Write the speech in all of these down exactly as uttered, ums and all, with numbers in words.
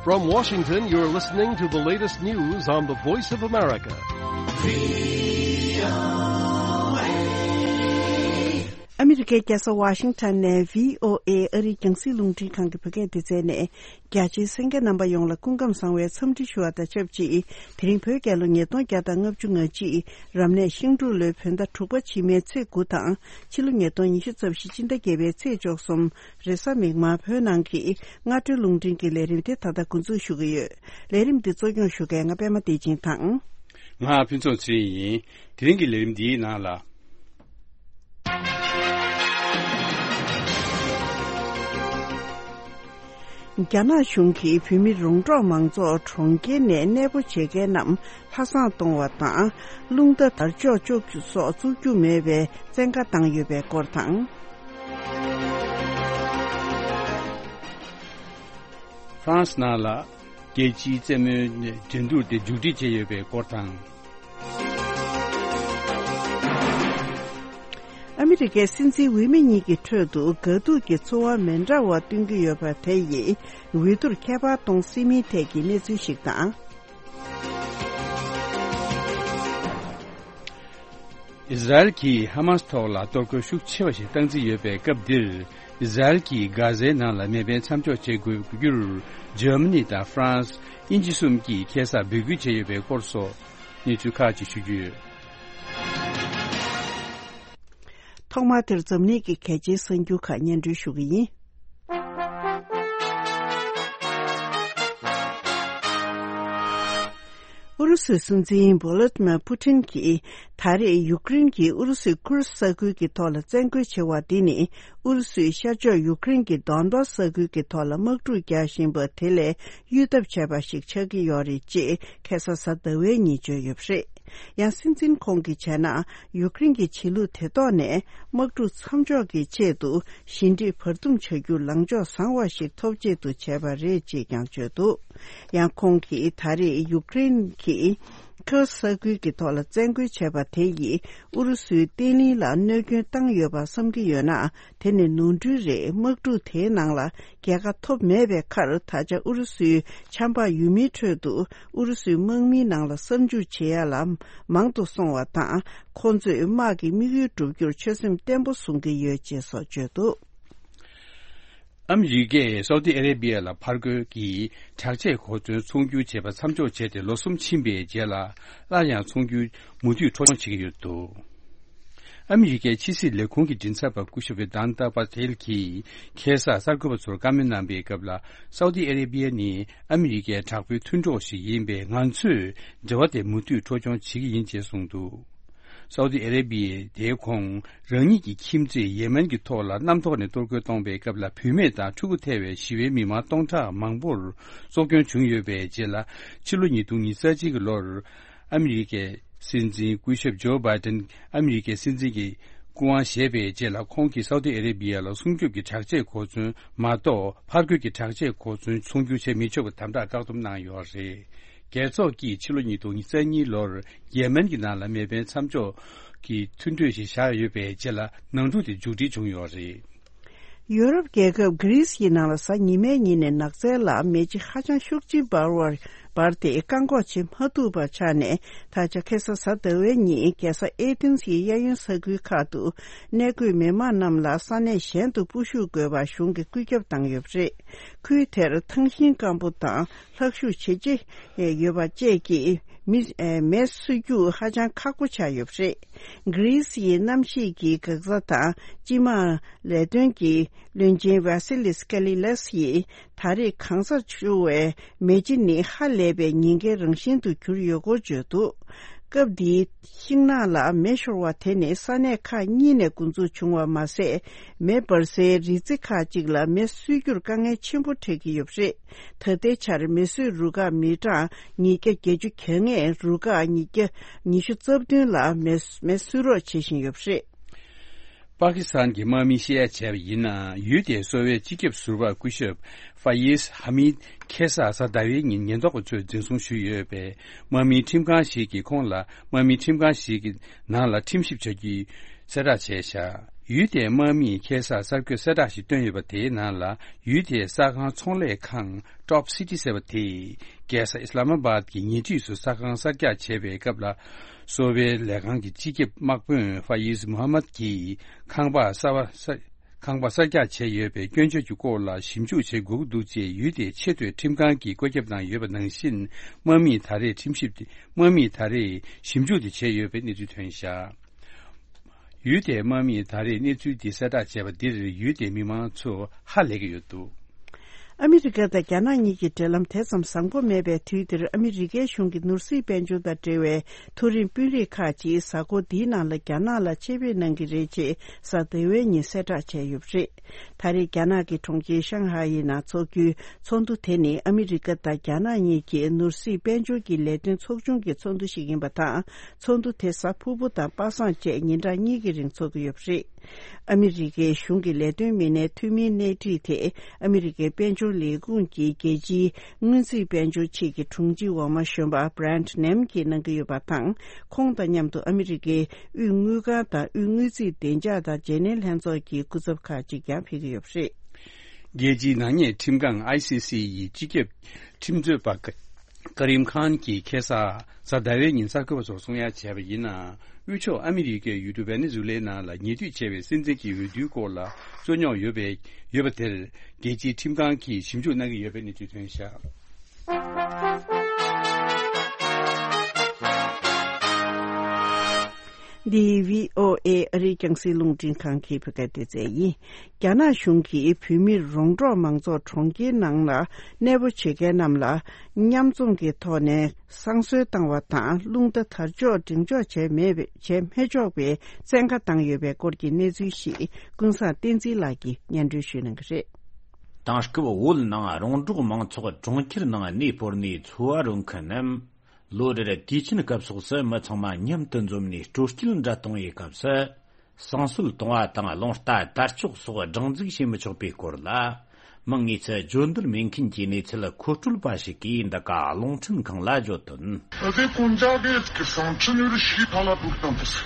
From Washington, you're listening to the latest news on the Voice of America. ཨ་མི་རི་ཀའི་རྒྱལ་ས་ཝ་ཤིང་ཊོན་ནས་བྷི་ཨོ་ཨེ་ཨ་རིའི་རྒྱང་སྲིང་རླུང་འཕྲིན་ཁང་གི་བོད་སྐད་སྡེ་ཚན་ནས། རྒྱ་ཆེའི་གསན་མཁན་རྣམ་པ་ཡོངས་ལ་སྐུ་ཁམས་བཟང་བའི་འཚམས་འདྲི་ཞུ་བ་དང་ཆབས་ཅིག་དེ་རིང་བོད་རྒྱལ་ལོ་ཉིས་སྟོང་བརྒྱ་དང་ལྔ་བཅུ་ང་གཅིག་རབ་གནས་ཤིང་འབྲུག་ལོའི་བོད་ཟླ་དྲུག་པ་ཕྱི་མའི་ཚེས་དགུ་དང་ཕྱི་ལོ་ཉིས་སྟོང་ཉི་ཤུ་རྩ་བཞི་སྤྱི་ཟླ་བརྒྱད་པའི་ཚེས་བཅུ་གསུམ་རེས་གཟའ་མིག་དམར་བོད་ནང་གི་སྔ་དྲོའི་རླུང་འཕྲིན་གྱི་ལས་རིམ་དེ་ད་ལྟ་འགོ་འཛུགས་ཞུ་གི་ཡོད། ལས་རིམ་འདི་གཙོ་སྐྱོང་ཞུ་མཁན་ང་པད་མ་བདེ་ཆེན་དང་། ང་ཕུན་ཚོགས་ཚེ་རིང་ཡིན། དེ་རིང་གི་ལས་རིམ་འདིའི་ནང་ལ། རྒྱ་ནག་གཞུང་གིས་བོད་མི་རོང་འབྲོག་མང་ཚོགས་གྲོང་ཁྱེར་ནས་གནས་སྤོ་བྱེད་མཁན་རྣམས་ལྷ་བསང་གཏོང་བ་དང་། རླུང་རྟ་དར་ལྕོག་གཅོག་རྒྱུ་སོགས་བཙུགས་རྒྱུ་མེད་པའི་བཙན་བཀའ་བཏང་ཡོད་པའི་སྐོར་དང་། ཧྥ་རན་སི་ནང་ལ་རྒྱལ་སྤྱིའི་རྩེད་མོའི་འགྲན་བསྡུར་དེ་མཇུག་སྒྲིལ་བྱས་ཡོད་པའི་སྐོར་དང་། ཨ་མི་རི་ཀའི་སྲིད་འཛིན་འོས་མི་གཉིས་ཀྱི་ཁྲོད་དུ་དགའ་སྡུག་གི་ཚོར་བ་མི་འདྲ་བ་སྟོན་གྱི་ཡོད་པ་དེ་ཡིས་འོས་བསྡུར་ཁྱད་པར་གཏོང་སྲིད་མིན་ཐད་ཀྱི་གནས་ཚུལ་ཞིག་དང་། ཨིས་ར་ཨེལ་གྱིས་ཧ་མཱ་སི་ཐོག་ལ་གཏོར་རྒོལ་ཤུགས་ཆེ་བ་ཞིག་བཏང་རྩིས་ཡོད་པའི་སྐབས་འདིར། ཨིས་ར་ཨེལ་གྱིས་གྷ་ཟའི་ནང་ལ་མེ་འཕེན་མཚམས་འཇོག་བྱེད་དགོས་རྒྱུར། འཇར་མ་ནི་དང་ཧྥ་རན་སི། དབྱིན་ཇི་གསུམ་གྱིས་ཁ་སང་འབོད་སྐུལ་བྱས་ཡོད་པའི་སྐོར་སོགས་གནས་ཚུལ་ཁག་ཅིག་ཞུ་རྒྱུ་ཡོད། ཐོག་མར་དེར་འཛམ་གླིང་གི་གལ་ཆེའི་གསར་འགྱུར་ཁག་སྙན་སྒྲོན་ཞུ་གི་ཡིན། ཨུ་རུ་སུའི་སྲིད་འཛིན་ཝོ་ལོ་ཏི་མར་པུ་ཏིན་གྱིས་ད་རེས་ཡུཀ་རེན་གྱིས་ཨུ་རུ་སུའི་ཁུར་ས་ཁུལ་གྱི་ཐོག་ལ་བཙན་རྒོལ་བྱེད་པ་འདི་ནི་ཨུ་རུ་སུའི་ཤར་ཕྱོགས་ཡུཀ་རེན་གྱི་དོན་པ་ས་ཁུལ་གྱི་ཐོག་ལ་དམག་འཁྲུག་རྒྱག་བཞིན་པ་དེ་ལས་གཡོལ་ཐབས་བྱས་པ་ཞིག་ཆགས་ཀྱི་ཡོད་རེད་ཅེས་ཁ་སང་གཟའ་ཟླ་བའི་ཉིན་བརྗོད་ཡོད་པ་རེད། ཡང་སྲིད་འཛིན་ཁོང་གིས་བྱས་ན། ཡུཀ་རེན་གྱི་བྱེད་ལུགས་དེ་ཐོག་ནས་དམག་འཁྲུག་མཚམས་འཇོག་གི་ཆེད་དུ་ཞི་འགྲིག་བར་འདུམ་བྱ་རྒྱུར་ལངས་ཕྱོགས་བཟང་བ་ཞིག་ཐོབ་ཆེད་དུ་བྱས་པ་རེད་ཅེས་ཀྱང་བརྗོད་འདུག་ཡང་ཁོང་གིས་ད་རེས་ཡུཀ་རེན་གྱིས་ཁུར་ས་ཁུལ་གྱི་ཐོག་ལ་བཙན་རྒོལ་བྱས་པ་དེ་ཡིས་ཨུ་རུ་སུའི་བརྟན་ལྷིང་ལ་གནོད་སྐྱོན་བཏང་ཡོད་པ་བསམ་གྱི་ཡོད་ན། དེ་ནི་ནོར་འཁྲུལ་རེད། དམག་འཁྲུག་དེའི་ནང་ལ་རྒྱལ་ཁ་ཐོབ་མེད་པའི་ཁར། ད་ཆ་ཨུ་རུ་སུའི་ཆབ་འབངས་ཡུལ་མིའི་ཁྲོད་དུ་ཨུ་རུ་སུའི་དམག་མིའི་ནང་ལ་གསར་འཇུག་བྱེད་ཡ་ལ་མང་དུ་སོང་བ་དང་། ཁོང་ཚོས་དམག་གི་དམིགས་ཡུལ་བསྒྲུབ་རྒྱུར་ཆོད་སེམས་བརྟན་པོ་བཟུང་གི་ཡོད་ཅེས་སོགས་བརྗོད་འདུག་ཨ་མི་རི་ཀས་སའུ་ཏི་ཨ་རེ་བྷི་ཡ་ལ་ཕར་རྒོལ་གྱི་དྲག་ཆས་གོ་མཚོན་ཚོང་སྒྱུར་བྱེད་པ་མཚམས་འཇོག་བྱས་ཏེ་ལོ་གསུམ་ཕྱིན་པའི་རྗེས་ལ། སླར་ཡང་ཚོང་སྒྱུར་མུ་མཐུད་འཕྲོ་སྐྱོང་བྱེད་ཀྱི་ཡོད་འདུག་ཨ་མི་རི་ཀའི་ཕྱི་སྲིད་ལས་ཁུངས་ཀྱི་མགྲིན་ཚབ་པ་སྐུ་ཞབས་ཝེ་དཱན་ཏཱ་པ་ཐེལ་གྱིས་ཁ་སང་གསར་འགོད་པ་ཚོར་བཀའ་མོལ་གནང་པའི་སྐབས་ལ། སའུ་ཏི་ཨ་རེ་བྷི་ཡ་ནི་ཨ་མི་རི་ཀའི་དྲག་པོའི་མཐུན་གྲོགས་ཤིག་ཡིན་པས། ང་ཚོས་འབྲེལ་བ་དེ་མུ་མཐུད་འཕྲོ་སྐྱོང་བྱེད་ཀྱི་ཡིན་ཅེས་གསུངས་འདུག་སའུ་ཏི་ཨ་རེ་བྷི་ཡས་དེའི་གོང་རང་ཉིད་ཀྱི་ཁྱིམ་མཚེས་ཡེ་མེན་གྱི་ཐོག་ལ་གནམ་ཐོག་ནས་གཏོར་རྒོལ་གཏོང་པའི་སྐབས་ལ། བུད་མེད་དང་ཕྲུ་གུ་ཐེ་བའི་ཞི་བའི་མི་མང་སྟོང་ཕྲག་མང་པོར་སྲོག་སྐྱོན་བྱུང་ཡོད་པའི་རྗེས་ལ། ཕྱི་ལོ་ཉིས་སྟོང་ཉེར་གཅིག་གི་ལོར་ཨ་མི་རི་ཀའི་སྲིད་འཛིན་སྐུ་ཞབས་ཇོ་བྷའི་ཏན་ཨ་མི་རི་ཀའི་སྲིད་འཛིན་གྱི་སྐུ་དབང་བཞེས་པའི་རྗེས་ལ། ཁོང་གིས་སའུ་ཏི་ཨ་རེ་བྷི་ཡ་ལ་སྲུང་སྐྱོབ་ཀྱི་དྲག་ཆས་གོ་མཚོན་མ་གཏོགས། ཕར་རྒོལ་གྱི་དྲག་ཆས་གོ་མཚོན་ཚོང་སྒྱུར་བྱེད་མི་ཆོག་པའི་དམ་དྲག་བཀག་སྡོམ་གནང་ཡོད་རེད། རྒྱལ་ཚོགས་ཀྱིས་ཕྱི་ལོ་ཉིས་སྟོང་ཉེར་གཉིས་ལོར་ཡེ་མེན་གྱི་ནང་ལ་མེ་འཕེན་མཚམས་འཇོག་གི་མཐུན་གྲོས་ཤིག་བཞག་ཡོད་པའི་རྗེས་ལ། ནང་འཁྲུག་དེ་མཇུག་སྒྲིལ་བྱུང་ཡོད་རེད། ཡོ་རོབ་རྒྱལ་ཁབ་གྷི་རིས་ཡི་ནང་ལ་གཟའ་ཉི་མའི་ཉིན་ནས་ནགས་ཚལ་ལ་མེ་ལྕེ་ཧ་ཅང་ཤུགས་ཆེན་འབར་བར་འབར་ཏེ་བཀག་འགོག་བྱེད་མ་ཐུབ་པ་ཆགས་ནས། ད་ཆ་ཁ་སང་གཟའ་ཟླ་བའི་ཉིན་རྒྱལ་ས་ཨེ་ཐེན་སི་ཡི་གཡས་གཡོན་ས་ཁུལ་ཁག་ཏུ་གནས་འཁོད་མི་མང་རྣམས་ལ་ས་གནས་གཞན་དུ་སྤོ་བཤུད་དགོས་པ་གཞུང་གིས་བཀོད་ཁྱབ་བཏང་ཡོད་པ་རེད། ཁུལ་དེར་ཐང་ཤིང་སྐམ་པོ་དང་ལྷག་ཤུགས་ཇེ་ཆེ་ཡོད་པ་བཅས་ཀྱིས་མི་མེ་གསོད་རྒྱུ་ཧ་ཅང་ཁག་པོ་ཆགས་ཡོད་པ་རེད། གྷི་རིས་ཡི་གནམ་གཤིས་ཀྱི་འགག་རྩ་དང་སྤྱི་དམངས་ལས་དོན་གྱི་བློན་ཆེན་ཝ་སི་ལིས་ཀ་ལི་ལེས་ཡིས་ད་རེས་གང་སར་འཕྱུར་བའི་མེ་ལྕེ་ནི་ཧ་ལས་པའི་ཉེན་ཁའི་རང་བཞིན་དུ་གྱུར་ཡོད་སྐོར་བརྗོད་འདུག་སྐབས་འདིའི་ཤིང་ནགས་ལ་མེ་ཤོར་བ་དེ་ནི་ས་གནས་ཁག་གཉིས་ནས་འགོ་འཛུགས་བྱུང་བ་མ་ཟད། མེ་འབར་སའི་རི་རྩེ་ཁག་ཅིག་ལ་མེ་གསོད་རྒྱུར་དཀའ་ངལ་ཆེན་པོ་འཕྲད་ཀྱི་ཡོད་པ་རེད། ད་ལྟའི་ཆར་མེ་གསོད་རུ་ཁག་མི་གྲངས་ཉིས་བརྒྱ་བརྒྱད་ཅུ་གྱ་ལྔས་རུ་ཁག་ཉིས་བརྒྱ་ཉི་ཤུ་རྩ་བདུན་ལ་མེ་མེ་གསོད་རོགས་བྱེད་བཞིན་ཡོད་པ་རེད། པ་ཀི་སི་ཐན་གྱི་དམག་མིས་བཤད་ཡ་བྱས་པ་ཡིན་ན། ཡུལ་དེའི་གསོ་བའི་སྤྱི་ཁྱབ་ཟུར་པ་སྐུ་ཞབས་ཧྥ་ཡིས་ཧ་མིད་ཁ་སང་གཟའ་ཟླ་བའི་ཉིན་ཉེན་རྟོག་པ་ཚོས་འཛིན་བཟུང་ཞུས་ཡོད་པས། དམག་མིའི་ཁྲིམས་ཁང་ཞིག་གིས་ཁོང་ལ་དམག་མིའི་ཁྲིམས་ཁང་ཞིག་གི་ནང་ལ་ཁྲིམས་ཞིབ་བྱ་རྒྱུའི་གསལ་བསྒྲགས་བྱས་བཞག་ཡུལ་དེའི་དམག་མིས་ཁ་སང་གསར་འགོད་གསལ་བསྒྲགས་ཤིག་བཏོན་ཡོད་པ། དེའི་ནང་ལ་ཡུལ་དེའི་གསར་ཁང་ཚོང་ལས་ཁང་Top City ཟེར་བ་དེས་རྒྱལ་ས་ཨི་སི་ལ་མ་བཱད་ཀྱི་ཉེ་འཁྲིས་སུ་གསར་ཁང་གསར་རྒྱག་བྱེད་པའི་སྐབས་ལ། གསོ་བའི་ལས་ཁང་གི་སྤྱི་ཁྱབ་དམག་དཔོན་ཧྥ་ཡིས་མུ་ཧམ་མད་ཀྱིས་ཁང་པ་གསར་པ་གསར་ཁང་པ་གསར་རྒྱག་བྱས་ཡོད་པའི་སྐྱོན་བརྗོད་ཀྱི་སྐོར་ལ་ཞིབ་འཇུག་བྱེད་དགོས་ཀྱི་འདུག་ཅེས་ཡུལ་དེའི་ཆེས་མཐོའི་ཁྲིམས་ཁང་གིས་བཀོད་ཁྱབ་གནང་ཡོད་པ་ནང་བཞིན། དམག་མིས་ད་རེས་ཁྲིམས་ཞིབ་དེ་དམག་མིས་ད་རེས་ཞིབ་འཇུག་དེ་བྱས་ཡོད་པའི་གནས་ཚུལ་ཐོན་བཞག་ཡུལ་དེའི་དམག་མིས་ད་རེས་གནས་ཚུལ་འདི་གསལ་བསྒྲགས་བྱས་པ་འདིར་ཡུལ་དེའི་མི་མང་ཚོ་ཧ་ལས་ཀྱི་ཡོད་འདུག་ཨ་མི་རི་ཀ་དང་རྒྱ་ནག་གཉིས་ཀྱི་འབྲེལ་ལམ་དེ་ཙམ་བཟང་པོ་མེད་པའི་དུས་འདིར། ཨ་མི་རི་ཀའི་གཞུང་གིས་ནོར་སྲིད་དཔལ་འབྱོར་དང་འབྲེལ་བའི་མཐོ་རིམ་དཔོན་རིགས་ཁག་ཅིག་གཟའ་འཁོར་འདིའི་ནང་ལ་རྒྱ་ནག་ལ་ཆེད་ཕེབས་གནང་གི་རེད་ཅེས་གཟའ་ཟླ་བའི་ཉིན་གསལ་བསྒྲགས་བྱས་ཡོད་པ་རེད། ད་རེས་རྒྱ་ནག་གི་གྲོང་ཁྱེར་ཤང་ཧའེ་ཡི་ནང་འཚོགས་རྒྱུའི་ཚོགས་འདུ་དེ་ནི་ཨ་མི་རི་ཀ་དང་རྒྱ་ནག་གཉིས་ཀྱི་ནོར་སྲིད་དཔལ་འབྱོར་གྱི་ལས་དོན་ཚོགས་ཆུང་གི་ཚོགས་འདུ་ཞིག་ཡིན་པ་དང་། ཚོགས་འདུ་དེ་གཟའ་ཕུར་བུ་དང་པ་སངས་བཅས་ཉིན་གྲངས་གཉིས་ཀྱི་རིང་འཚོགས་ཀྱི་ཡོད་པ་རེད། ཨ་མི་རི་ཀའི་གཞུང་གི་ལས་དོན་མི་སྣའི་འཐུས་མིའི་གནས་འཁྲིད་དེ་ཨ་མི་རི་ཀའི་དཔལ་འབྱོར་ལས་ཁུངས་ཀྱི་རྒྱལ་སྤྱིའི་སྔོན་རྩིས་དཔལ་འབྱོར་ཆེད་ཀྱི་དྲུང་ཆེ་འོག་མ་གཞོན་པ་Brent Nem གྱིས་གནང་གི་ཡོད་པ་དང་། ཁོང་དང་མཉམ་དུ་ཨ་མི་རི་ཀའི་དབུས་དངུལ་ཁང་དང་དབུས་དངུལ་རྩིས་བདེ་འཇགས་དང་བརྗེ་ལེན་ལྷན་ཚོགས་ཀྱི་སྐུ་ཚབ་ཁག་ཅིག་ཀྱང་ཕེབས་ཀྱི་ཡོད་པ་རེད། རྒྱལ་སྤྱིའི་ནག་ཉེས་ཁྲིམས་ཁང་I C C ཡི་སྤྱི་ཁྱབ་ཁྲིམས་རྩོད་པ་ཀ་ཀ་རིམ་ཁཱན་གྱིས་ཁ་སང་གཟའ་ཟླ་བའི་ཉིན་གསར་འགོད་པ་ཚོར་གསུང་ཡ་བྱས་པ་ཡིན་ན། དབུས་ཕྱོགས་ཨ་མི་རི་ཀའི་ཡུལ་གྲུ་ཝེ་ནེ་ཛུ་ལའི་ནང་ལ་ཉེ་དུས་བྱས་པའི་སྲིད་འཛིན་གྱི་འོས་བསྡུའི་སྐོར་ལ་རྩོད་རྙོག་ཡོད་པའི་ཡོད་པ་དེར། རྒྱལ་སྤྱིའི་ཁྲིམས་ཁང་གིས་ཞིབ་འཇུག་གནང་གི་ཡོད་པའི་གནས་ཚུལ་ཐོན་བཞག་འདི་V O A ཨ་རིའི་རྒྱང་སྲིང་རླུང་འཕྲིན་ཁང་གི་བོད་སྐད་སྡེ་ཚན་ཡིན། རྒྱ་ནག་གཞུང་གིས་བོད་མིར་རོང་འབྲོག་མང་ཚོགས་གྲོང་ཁྱེར་ནང་ལ་གནས་སྤོ་བྱེད་མཁན་རྣམས་ལ་མཉམ་འཛོམས་ཀྱི་ཐོག་ནས་བསང་གསོལ་བཏང་བ་དང་། རླུང་རྟ་དར་ལྕོག་འགྲེང་འཇོག་བྱས་མེད་པའི་བྱས་མི་ཆོག་པའི་བཙན་བཀའ་བཏང་ཡོད་པའི་སྐོར་གྱི་གནས་ཚུལ་ཞིག་ཀུན་བཟང་བསྟན་འཛིན་ལགས་ཀྱིས་སྙན་སྒྲོན་ཞུ་གནང་གི་རེད། དེང་སྐབས་བོད་ནང་རོང་འབྲོག་མང་ཚོགས་གྲོང་ཁྱེར་ནང་གནས་སྤོར་ནས་འཚོ་བ་རོལ་མཁན་རྣམས། ལོ་རེར་དུས་ཆེན་སྐབས་སོགས་སུ་མི་ཚང་མ་མཉམ་དུ་འཛོམས་ནས་སྤྲོ་སྐྱིད་འདྲ་གཏོང་བའི་སྐབས་སུ། བསང་གསོལ་གཏོང་བ་དང་རླུང་རྟ་དར་ལྕོག་སོགས་སྒྲེང་འཛུགས་བྱེད་མི་ཆོག་པའི་སྐོར་ལ། མིང་དངོས་སུ་བརྗོད་འདོད་མེད་མཁན་གྱི་གནས་ཚུལ་མཁོ་སྤྲོད་པ་ཞིག་གིས་འདི་ག་རླུང་འཕྲིན་ཁང་ལ་བརྗོད་དོན། ཨ་དེ་ཀུན་ཇག་གི་བསང་ཁྲི་ནུར་ཤི་ཐ་ལ་འདུག་དང་དུས།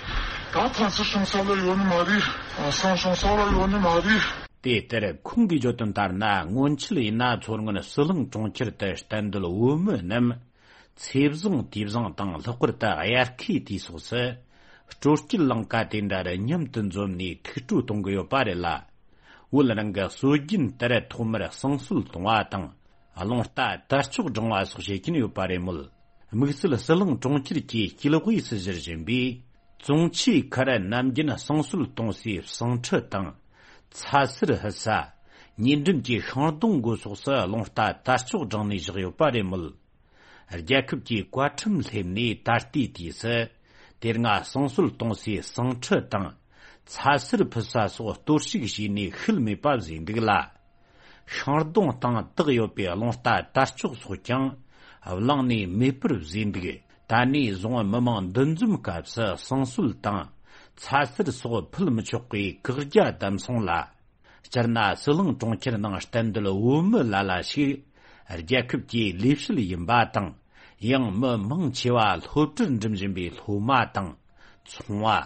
ད་ཐང་སི་ཤོང་ས་ལ་ཡོད་ནི་མ་རེད། བསང་ཤོང་ས་ལ་ཡོད་ནི་མ་རེད། དེ་ལྟར་ཁོང་གིས་བརྗོད་དོན་ལྟར་ན། སྔོན་ཆད་ཡིན་ན་མཚོ་སྔོན་ཟི་ལིང་གྲོང་ཁྱེར་དུ་གཏན་སྡོད་བོད་མི་རྣམས། ཚེས་བཟང་དུས་བཟང་དང་། ལྷག་པར་དུ་དབྱར་ཁའི་དུས་སོགས་སུ་སྤྲོ་སྐྱིད་ལང་ཀ་དེ་འདྲ་རུ་མཉམ་དུ་འཛོམས་ནས་ཐུགས་སྤྲོ་གཏོང་གི་ཡོད་པ་རེད་ལ། བོད་རང་གི་སྲོལ་རྒྱུན་ལྟར་ཐོག་མར་བསང་གསོལ་གཏོང་བ་དང་། རླུང་རྟ་དར་ལྕོག་སྒྲེང་བ་སོགས་བྱེད་ཀྱིན་ཡོད་པ་རེད་མོད། དམིགས་བསལ་ཟི་ལིང་གྲོང་ཁྱེར་གྱི་སྐྱེས་དབུས་སུ་གཞིར་བཞེངས་པའི་ཙོང་ཆུའི་ཁར་ནམ་རྒྱུན་བསང་གསོལ་གཏོང་སའི་བསང་ཁྲི་དང་། ཚ་ཟེར་ཕུད་ས། ཉེ་འགྲམ་གྱི་ཤིང་སྡོང་སྒོ་སོགས་སུ་རླུང་རྟ་དར་ལྕོག་སྒྲེང་ནས་བཞག་ཡོད་པ་རེད་མོད། རྒྱལ་ཁབ་ཀྱི་བཀའ་ཁྲིམས་སླེབས་ནས་ད་ལྟའི་དུས་སུ། དེ་སྔ་བསང་གསོལ་གཏོང་སའི་བསང་ཁྲི་དང་། ཚ་ཟེར་ཕུད་ས་སོགས་གཏོར་བཤིག་བྱས་ནས་ཤུལ་མེད་པ་བཟོས་འདུག་ལ། ཤིང་སྡོང་སྟེང་བཏེགས་ཡོད་པའི་རླུང་རྟ་དར་ལྕོག་སོགས་ཀྱང་བླངས་ནས་མེད་པར་བཟོས་འདུག་ད་ནས་བཟུང་མི་མང་འདུ་འཛོམས་སྐབས་སུ་བསང་གསོལ་དང་ཚ་ཟེར་སོགས་ཕུད་མི་ཆོག་པའི་བཀག་རྒྱ་བསྡམས་སོང་ལ། སྤྱིར་ན་ཟི་ལིང་གྲོང་ཁྱེར་ནང་གཏན་སྡོད་བོད་མི་ལ་ལ་ཞིག་རྒྱལ་ཁབ་ཀྱི་ལས་བྱེད་ཡིན་པ་དང་། ཡང་མི་མང་ཆེ་བ་སློབ་གྲྭར་འགྲིམ་བཞིན་པའི་སློབ་མ་དང་། ཚོང་བ།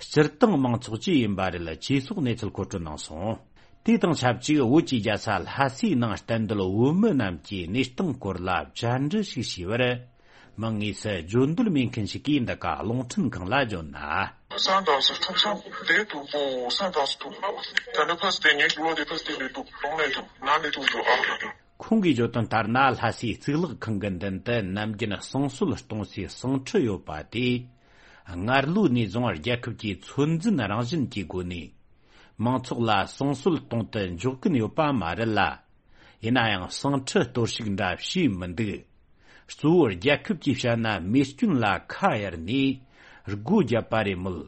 སྤྱིར་བཏང་མང་ཚོགས་བཅས་ཡིན་པ་རེད་ཅེས་སོགས་གནས་ཚུལ་མཁོ་སྤྲོད་གནང་སོང་། དེ་དང་ཆབས་ཅིག་བོད་ཀྱི་རྒྱལ་ས་ལྷ་སའི་ནང་གཏན་སྡོད་བོད་མི་རྣམས་ཀྱི་གནས་སྟངས་སྐོར་ལ་བཅར་འདྲི་ཞིག་བྱས་པར། མིང་དངོས་སུ་བརྗོད་འདོད་མེད་མཁན་ཞིག་གིས་འདི་ག་རླུང་འཕྲིན་ཁང་ལ་བརྗོད་ན། སང་དང་སུ་ཁྲུག་ཤང་དེ་དུ་པོ་སང་དང་སུ་ཐུག་ད་ནི་ཕ་སི་དེ་ཉིན་ལོ་དེ་ཕ་སི་དེ་ལས་དུ་གཏོང་ལས་དུ་ན་ལས་དུ་ཡོད་ཨ། ཁོང་གིས་བརྗོད་དོན་ལྟར་ན། ལྷ་སའི་གཙུག་ལག་ཁང་གི་མདུན་དུ་ནམ་རྒྱུན་བསང་གསོལ་གཏོང་སའི་བསང་ཁྲི་ཡོད་པ་དེ། སྔར་ལོ་ནས་བཟུང་རྒྱལ་ཁབ་ཀྱི་ཚོད་འཛིན་རང་བཞིན་གྱི་སྒོ་ནས། མང་ཚོགས་ལ་བསང་གསོལ་གཏོང་དུ་འཇོག་གིན་ཡོད་པ་མ་རེད་ལ། ཡིན་ན་ཡང་བསང་ཁྲི་གཏོར་བཤིག་འདྲ་བྱས་མི་འདུག་གཙོ་བོ་རྒྱལ་ཁབ་ཀྱིས་བཤད་ན་མེ་སྐྱོན་ལ་ཁ་གཡར་ནས་སྒོ་བརྒྱབ་པ་རེད་མོད།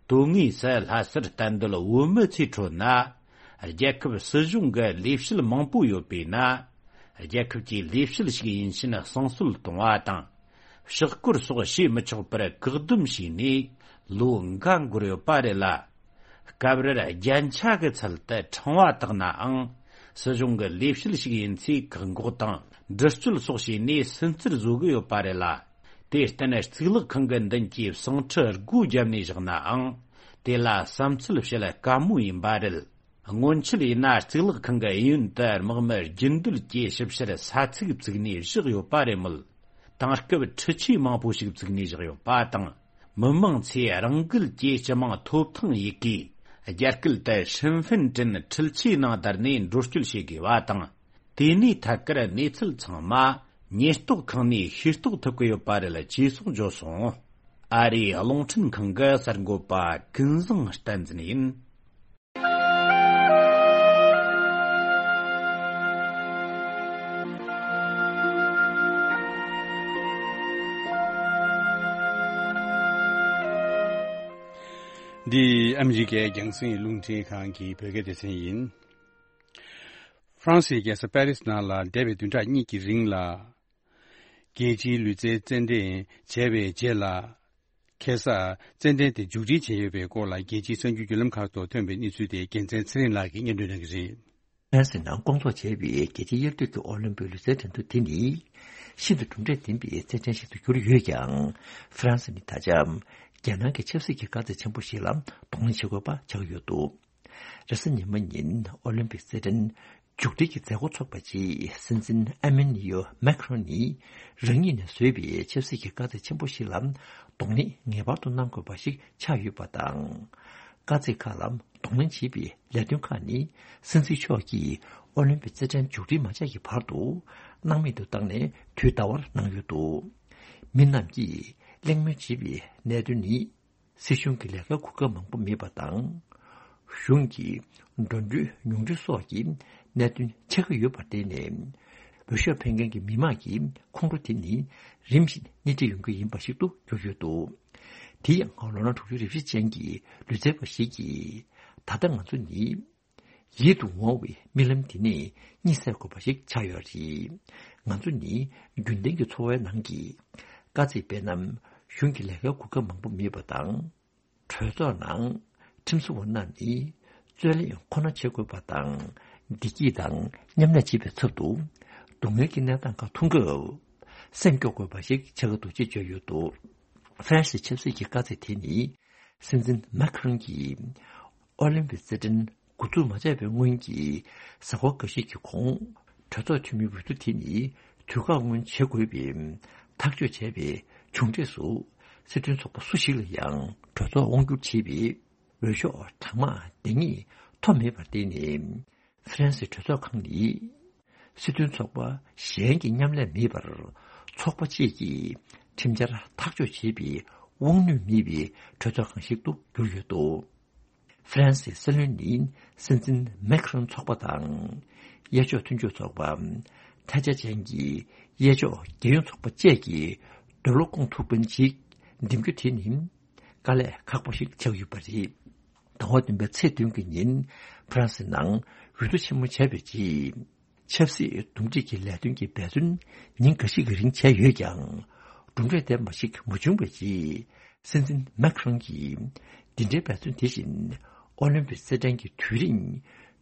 དོན་དངོས་སུ་ལྷ་སར་གཏན་སྡོད་བོད་མི་ཚོའི་ཁྲོད་ན། རྒྱལ་ཁབ་སྲིད་གཞུང་གི་ལས་བྱེད་མང་པོ་ཡོད་པས་ན། རྒྱལ་ཁབ་ཀྱི་ལས་བྱེད་ཞིག་ཡིན་ཕྱིན་བསང་གསོལ་གཏོང་བ་དང་། ཕྱག་སྐོར་སོགས་བྱེད་མི་ཆོག་པར་བཀག་སྡོམ་བྱས་ནས་ལོ་འགའ་འགོར་ཡོད་པ་རེད་ལ། སྐབས་རེར་རྒྱན་ཆ་གི་ཚུལ་དུ་ཕྲེང་བ་བཏགས་ནའང་། སྲིད་གཞུང་གི་ལས་བྱེད་ཞིག་ཡིན་ཚེ་བཀག་འགོག་དང་འདྲི་གཅོད་སོགས་བྱས་ནས་སུན་གཙེར་བཟོ་གི་ཡོད་པ་རེད་ལ། དེར་བརྟེན་གཙུག་ལག་ཁང་གི་མདུན་གྱི་བསང་ཁྲི་སྒོ་བརྒྱབ་ནས་བཞག་ནའང་། དེ་ལ་བསམ་ཚུལ་བཤད་དཀའ་མོ་ཡིན་པ་རེད། སྔོན་ཆད་ཡིན་ན་གཙུག་ལག་ཁང་གི་གཡས་གཡོན་དུ་དམག་མི་རྒྱུན་སྡོད་ཀྱིས་ཞིབ་བཤེར་ས་ཚིགས་བཙུགས་ནས་བཞག་ཡོད་པ་རེད་མོད། དེང་སྐབས་འཕྲུལ་ཆས་མང་པོ་ཞིག་བཙུགས་ནས་བཞག་ཡོད་པ་དང་། མི་མང་ཚོས་རང་འགུལ་གྱིས་སྤྱི་དམངས་ཐོབ་ཐང་ཡི་གེ། རྒྱ་སྐད་དུ་身份证འཕྲུལ་ཆས་ནང་བསྡུར་ནས་འགྲོ་སྐྱོད་བྱེད་དགོས་པ་དང་། དེ་ནས་ཐད་ཀར་གནས་ཚུལ་ཚང་མ་ཉེན་རྟོག་ཁང་ནས་ཤེས་རྟོགས་ཐུབ་ཀྱི་ཡོད་པ་རེད་ཅེས་སོགས་བརྗོད་སོང་། ཨ་རིའི་རླུང་འཕྲིན་ཁང་གི་གསར་འགོད་པ་ཀུན་བཟང་བསྟན་འཛིན་ཡིན། འདི་ཨ་མི་རི་ཀའི་རྒྱང་སྲིང་རླུང་འཕྲིན་ཁང་གི་བོད་སྐད་སྡེ་ཚན་ཡིན། ཧྥ་རན་སིའི་རྒྱལ་ས་པེ་རིས་ནང་ལ་འདས་པའི་བདུན་ཕྲག་གཉིས་ཀྱི་རིང་ལ། རྒྱལ་སྤྱིའི་ལུས་རྩལ་རྩེད་འགྲན་བྱས་པའི་རྗེས་ལ། ཁ་སང་རྩེད་འགྲན་དེ་མཇུག་སྒྲིལ་བྱས་ཡོད་པའི་སྐོར་ལ། རྒྱལ་སྤྱིའི་གསར་འགྱུར་བརྒྱུད་ལམ་ཁག་ཏུ་ཐོན་པའི་གནས་ཚུལ་དེ་རྒྱལ་མཚན་ཚེ་རིང་ལགས་ཀྱིས་སྙན་སྒྲོན་གནང་གི་རེད། ཧྥ་རན་སི་ནང་སྐོང་ཚོགས་བྱས་པའི་རྒྱལ་སྤྱིའི་དབྱར་དུས་ཀྱི་ཨོ་ལིམ་པིག་ལུས་རྩལ་འགྲན་བསྡུར་དེ་ནི། ཤིན་ཏུ་གྲུབ་འབྲས་ལྡན་པའི་རྩེད་འགྲན་ཞིག་ཏུ་གྱུར་ཡོད་ཀྱང་། ཧྥ་རན་སི་ནི་ད་ཆ་རྒྱལ་ནང་གི་ཆབ་སྲིད་ཀྱི་དཀའ་ཚེགས་ཆེན་པོ་ཞིག་ལ་གདོང་ལེན་བྱེད་དགོས་པ་ཆགས་ཡོད་འདུག་རེས་གཟའ་ཉི་མ་ཉིན་ཨོ་ལིམ་པིག་རྩེད་འགྲན་མཇུག་སྒྲིལ་གྱི་མཛད་སྒོ་ཚོགས་པའི་རྗེས། སྲིད་འཛིན་ཨེ་མན་ནི་ཡོ་མེག་རོན་ནི་རང་ཉིད་ནས་བཟོས་པའི་ཆབ་སྲིད་ཀྱི་དཀའ་ཚེགས་ཆེན་པོ་ཞིག་ལ་གདོང་ལེན་ངེས་པར་དུ་གནང་དགོས་པ་ཞིག་ཆགས་ཡོད་པ་དང་། དཀའ་ཚེགས་ཁག་ལ་གདོང་ལེན་བྱེད་པའི་ལས་དོན་ཁག་ནི། སྲིད་འཛིན་མཆོག་གིས་ཨོ་ལིམ་པིག་རྩེད་འགྲན་མཇུག་སྒྲིལ་མ་བྱས་ཀྱི་བར་དུ་སྣང་མེད་དུ་བཏང་ནས་དུས་འདའ་བར་གནང་ཡོད་འདུག་མི་རྣམས་ཀྱིས་གླེང་མོལ་བྱེད་པའི་གནད་དོན་ནི། སྲིད་གཞུང་གི་ལས་ཀའི་གོ་སྐབས་མང་པོ་མེད་པ་དང་། གཞུང་གི་འགྲོ་གྲོན་ཉུང་འཕྲི་སོགས་ཀྱི་གནད་དོན་ཆགས་ཀྱི་ཡོད་པར་བརྟེན་ནས། འོས་ཤོག་འཕེན་མཁན་གྱི་མི་མང་གི་ཁོང་ཁྲོ་དེ་ནི་རིམ་བཞིན་སྣེ་ཁྲིད་ཡོང་གི་ཡིན་པ་ཞིག་ཏུ་གྱུར་ཡོད་འདུག་དེ་ཡང་ལོ་ན་དྲུག་ཅུ་རེ་བཞི་ཅན་གྱི་ལུས་རྩལ་བ་ཞིག་གིས། ད་ལྟ་ང་ཚོ་ནི། ཡིད་དུ་འོང་བའི་རྨི་ལམ་དེ་ནས་གཉིད་སད་དགོས་པ་ཞིག་ཆགས་ཡོད་རེད། ང་ཚོ་ནི་རྒྱུན་ལྡན་གྱི་འཚོ་བའི་ནང་གི་དཀའ་ཚེགས། དཔེར་ན། གཞུང་གི་ལས་ཀའི་གོ་སྐབས་མང་པོ་མེད་པ་དང་། གྲོས་ཚོགས་ནང་ཁྲིམས་བཟོ་བ་རྣམས་ནི་རྩོད་གླེང་ཁོ་ན་བྱེད་དགོས་པ་དང་། བདེ་སྐྱིད་དང་མཉམ་གནས་བྱེད་པའི་ཚབ་ཏུ། སྡུག་བསྔལ་གྱི་གནས་སྟངས་ཁག་མཐོང་སྐབས་སེམས་སྐྱོ་དགོས་པ་ཞིག་ཆགས་ཀྱི་འདུག་ཅེས་བརྗོད་ཡོད་འདུག་ཧྥ་རན་སིའི་ཆབ་སྲིད་ཀྱི་དཀའ་ཚེགས་དེ་ནི། སྲིད་འཛིན་མེག་རོན་གྱིས་ཨོ་ལིམ་པིག་རྩེད་འགྲན་འགོ་འཛུགས་མ་བྱས་པའི་སྔོན་གྱི་གཟའ་འཁོར་འགའ་ཤས་ཀྱི་གོང་། གྲོས་ཚོགས་འཐུས་མིའི་འོས་བསྡུ་དེ་ནི་དུས་བཀག་སྔོན་བྱེད་དགོས་པའི་ཐག་གཅོད་བྱས་པའི་མཇུག་འབྲས་སུ། སྲིད་དོན་ཚོགས་པ་སུ་ཞིག་ལ་ཡང་གྲོས་ཚོགས་དབང་བསྒྱུར་བྱེད་པའི་འོས་ཤོག་གྲངས་མང་ལྡང་ངེས་ཐོབ་མེད་པར་བརྟེན་ནས། ཧྥ་རན་སིའི་གྲོས་ཚོགས་ཁང་ནི། སྲིད་དོན་ཚོགས་པ་གཞན་གྱི་མཉམ་ལས་མེད་པར། ཚོགས་པ་གཅིག་གིས་ཁྲིམས་འཆར་ཐག་གཅོད་བྱེད་པའི་དབང་ནུས་མེད་པའི་གྲོས་ཚོགས་ཁང་ཞིག་ཏུ་གྱུར་ཡོད་འདུག་ཧྥ་རན་སིའི་སྲིད་བློན་ནི་སྲིད་འཛིན་མེག་རོན་ཚོགས་པ་དང་། གཡས་ཕྱོགས་མཐུན་ཕྱོགས་ཚོགས་པ། ཐལ་ཆ་ཅན་གྱི་གཡས་ཕྱོགས་རྒྱལ་ཡོངས་ཚོགས་པ་བཅས་ཀྱི་འདོད་བློ་སྐོང་ཐུབ་མཁན་ཅིག་འདེམས་རྒྱུ་དེ་ནི། དཀའ་ལས་ཁག་པོ་ཞིག་ཆགས་ཡོད་པ་རེད། ཟླ་བ་བདུན་པའི་ཚེས་བདུན་གྱི་ཉིན་ཧྥ་རན་སི་ནང་འོས་བསྡུ་ཆེན་མོ་བྱས་པའི་རྗེས། ཆབ་སྲིད་འདུམ་འགྲིག་གི་ལས་དོན་གྱི་འབད་བརྩོན་ཉིན་འགའ་ཞིག་གི་རིང་བྱས་ཡོད་ཀྱང་། གྲུབ་འབྲས་ལྡན་པ་ཞིག་མ་བྱུང་བའི་རྗེས། སྲིད་འཛིན་མེག་རོན་གྱིས་འདི་འདྲའི་འབད་བརྩོན་དེ་བཞིན་ཨོ་ལིམ་པིག་རྩེད་འགྲན་གྱི་དུས་རིང་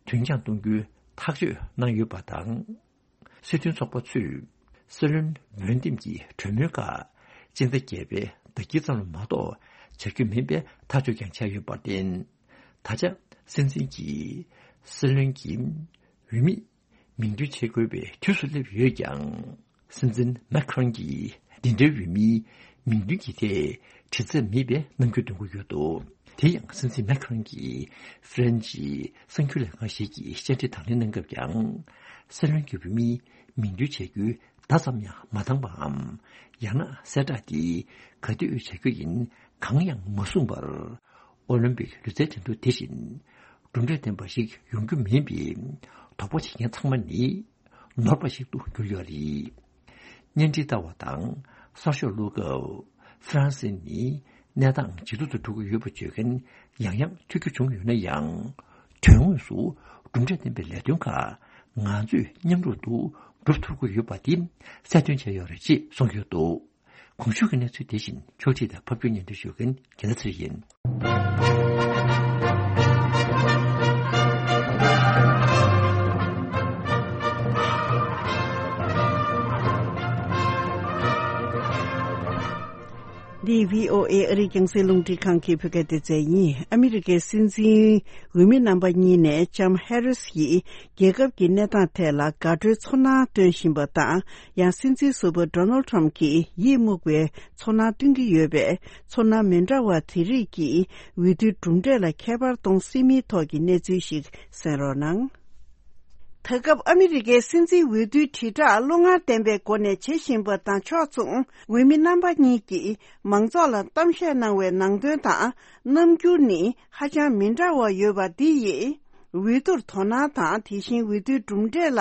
དུས་འགྱངས་གཏོང་རྒྱུའི་ཐག་གཅོད་གནང་ཡོད་པ་དང་། སྲིད་དོན་ཚོགས་པ་ཚོས་སྲིད་བློན་འོས་འདེམས་ཀྱི་གྲོས་མོལ་ཁག་སྤྱི་ཟླ་བརྒྱད་པའི་ཟླ་དཀྱིལ་ཙམ་ལ་མ་གཏོགས་བྱ་རྒྱུ་མིན་པའི་ཐག་གཅོད་ཀྱང་བྱས་ཡོད་པར་བརྟེན། ད་ཆ་སྲིད་འཛིན་གྱིས་སྲིད་བློན་གྱི་འོས་མི་མིང་འདོན་བྱེད་དགོས་པའི་དུས་སུ་སླེབས་ཡོད་ཀྱང་། སྲིད་འཛིན་མེག་རོན་གྱིས་འདི་འདྲའི་འོས་མིའི་མིང་འདོན་གྱི་ཐད་དྲི་རྩད་མེད་པའི་རྣམ་འགྱུར་སྟོན་གྱི་ཡོད་འདུག་དེ་ཡང་སྲིད་འཛིན་མེག་རོན་གྱིས་ཧྥ་རན་སིའི་གསར་འགྱུར་ལས་ཁང་ཞིག་གི་བཅར་འདྲི་དང་ལེན་གནང་སྐབས་ཀྱང་། སྲིད་བློན་གྱི་འོས་མིའི་མིང་འདོན་བྱ་རྒྱུའི་བརྡ་ཙམ་ཡང་མ་བཏང་པའམ། ཡང་ན་གསལ་བསྒྲགས་འདི་ག་དུས་བྱ་རྒྱུ་ཡིན་གང་ཡང་མ་གསུངས་པར། ཨོ་ལིམ་པིག་ལུས་རྩལ་འགྲན་བསྡུར་དེ་བཞིན་གྲུབ་འབྲས་ལྡན་པ་ཞིག་ཡོང་རྒྱུ་མིན་པའི་དོགས་པ་བྱེད་མཁན་ཚང་མ་ནི་ནོར་བ་ཞིག་ཏུ་གྱུར་ཡོད་རེད། བརྙན་འཕྲིན་ལྟ་བ་དང་གསར་ཤོག་ཀློག་སྐབས། ཧྥ་རན་སི་ནི་གནས་སྟངས་ཇེ་སྡུག་ཏུ་འགྲོ་གི་ཡོད་པ་བརྗོད་མཁན་ཡང་ཡང་ཐོས་རྒྱུ་བྱུང་ཡོད་ན་ཡང་། དོན་དངོས་སུ་གྲུབ་འབྲས་ལྡན་པའི་ལས་དོན་ཁག་ང་ཚོས་མཉམ་རུབ་ཏུ་སྒྲུབ་ཐུབ་ཀྱི་ཡོད་པ་དེ་གསལ་སྟོན་བྱས་ཡོད་རེད་ཅེས་གསུངས་ཡོད་འདུག་གོང་ཞུས་ཀྱི་གནས་ཚུལ་དེ་བཞིན་ཕྱོགས་སྒྲིག་དང་ཕབ་སྒྱུར་སྙན་སྒྲོན་ཞུ་མཁན་རྒྱལ་ལ་ཚེ་རིང་ཡིན། འདི་བྷི་ཨོ་ཨེ་ཨ་རིའི་རྒྱང་སྲིང་རླུང་འཕྲིན་ཁང་གི་བོད་སྐད་སྡེ་ཚན་ཡིན། ཨ་མི་རི་ཀའི་སྲིད་འཛིན་འོས་མི་རྣམ་པ་གཉིས་ནས་ལྕམ་ཧེ་རིས་ཡིས་རྒྱལ་ཁབ་ཀྱི་གནས་སྟངས་ཐད་ལ་དགའ་སྤྲོའི་ཚོར་སྣང་སྟོན་བཞིན་པ་དང་། ཡང་སྲིད་འཛིན་ཟུར་པ་ཌོ་ནལ་ཊམ་གྱིས་ཡིད་མུག་པའི་ཚོར་སྣང་སྟོན་གྱི་ཡོད་པས། ཚོར་སྣང་མི་འདྲ་བ་དེ་རིགས་ཀྱིས་འོས་བསྡུའི་གྲུབ་འབྲས་ལ་ཁྱད་པར་གཏོང་སྲིད་མིན་ཐོག་གི་གནས་ཚུལ་ཞིག་གསན་རོགས་གནང་། ད་སྐབས་ཨ་མི་རི་ཀའི་སྲིད་འཛིན་འོས་བསྡུའི་དྲིལ་བསྒྲགས་བློ་ངར་ལྡན་པའི་སྒོ་ནས་བྱེད་བཞིན་པ་དང་ཕྱོགས་མཚུངས། འོས་མི་རྣམ་པ་གཉིས་ཀྱིས་མང་ཚོགས་ལ་གཏམ་བཤད་གནང་བའི་ནང་དོན་དང་རྣམ་འགྱུར་ནི་ཧ་ཅང་མི་འདྲ་བ་ཡོད་པ་འདི་ཡིས། འོས་བསྡུར་དོ་སྣང་དང་། དེ་བཞིན་འོས་བསྡུའི་གྲུབ་འབྲས་ལ་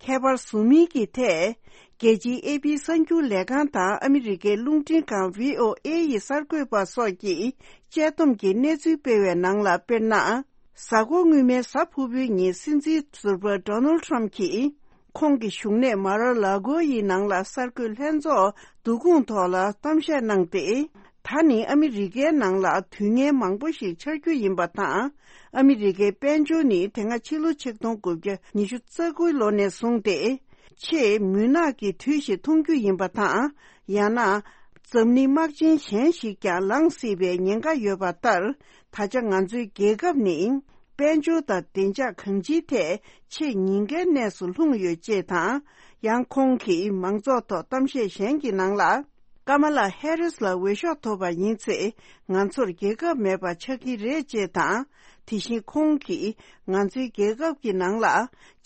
ཁྱད་པར་བཟོ་མིན་གྱི་ཐད། རྒྱལ་སྤྱིའི་ཨེ་པི་གསར་འགྱུར་ལས་ཁང་དང་ཨ་མི་རི་ཀའི་རླུང་འཕྲིན་ཁང་བྷི་ཨོ་ཨེ་ཡི་གསར་འགོད་པ་སོགས་ཀྱིས་དཔྱད་སྡོམ་གྱི་གནས་ཚུལ་སྤེལ་བའི་ནང་ལ། དཔེར་ན། གཟའ་འཁོར་སྔོན་མའི་གཟའ་ཕུར་བུའི་ཉིན་སྲིད་འཛིན་ཟུར་པ་ཌོ་ནལ་ཊམ་གྱིས་ཁོང་གི་བཞུགས་གནས་མ་ར་ལ་གོ་ཡི་ནང་ལ་གསར་འགོད་ལྷན་ཚོགས་བསྡུ་སྐོང་ཐོག་ལ་གཏམ་བཤད་གནང་སྟེ། ད་ནི་ཨ་མི་རི་ཀའི་ནང་ལ་དུས་ངན་མང་པོ་ཞིག་འཆར་རྒྱུ་ཡིན་པ་དང་། ཨ་མི་རི་ཀའི་དཔལ་འབྱོར་ནི་དེ་སྔ་ཕྱི་ལོ་ཆིག་སྟོང་དགུ་བརྒྱ་ཉི་ཤུ་རྩ་དགུ་ལོ་ནས་བཟུང་སྟེ། ཆེས་མུན་ནག་གི་དུས་ཤིག་མཐོང་རྒྱུ་ཡིན་པ་དང་། ཡང་ན། འཛམ་གླིང་དམག་ཆེན་གཞན་ཞིག་ཀྱང་ལངས་སྲིད་པའི་ཉེན་ཁ་ཡོད་པ་ལྟར། ད་ཆ་ང་ཚོའི་རྒྱལ་ཁབ་ནི། དཔལ་འབྱོར་དང་བདེ་འཇགས་གང་ཅིའི་ཐད་ཆེས་ཉེན་ཁའི་གནས་སུ་ལྷུང་ཡོད་ཅེས་དང་། ཡང་ཁོང་གིས་མང་ཚོགས་ཐོག་གཏམ་བཤད་གཞན་གྱི་ནང་ལ། ཀ་མ་ལ་ཧེ་རིས་ལ་འོས་ཤོག་ཐོབ་པ་ཡིན་ཚེ། ང་ཚོར་རྒྱལ་ཁབ་མེད་པ་ཆགས་ཀྱི་རེད་ཅེས་དང་། དེ་བཞིན་ཁོང་གིས་ང་ཚོའི་རྒྱལ་ཁབ་ཀྱི་ནང་ལ་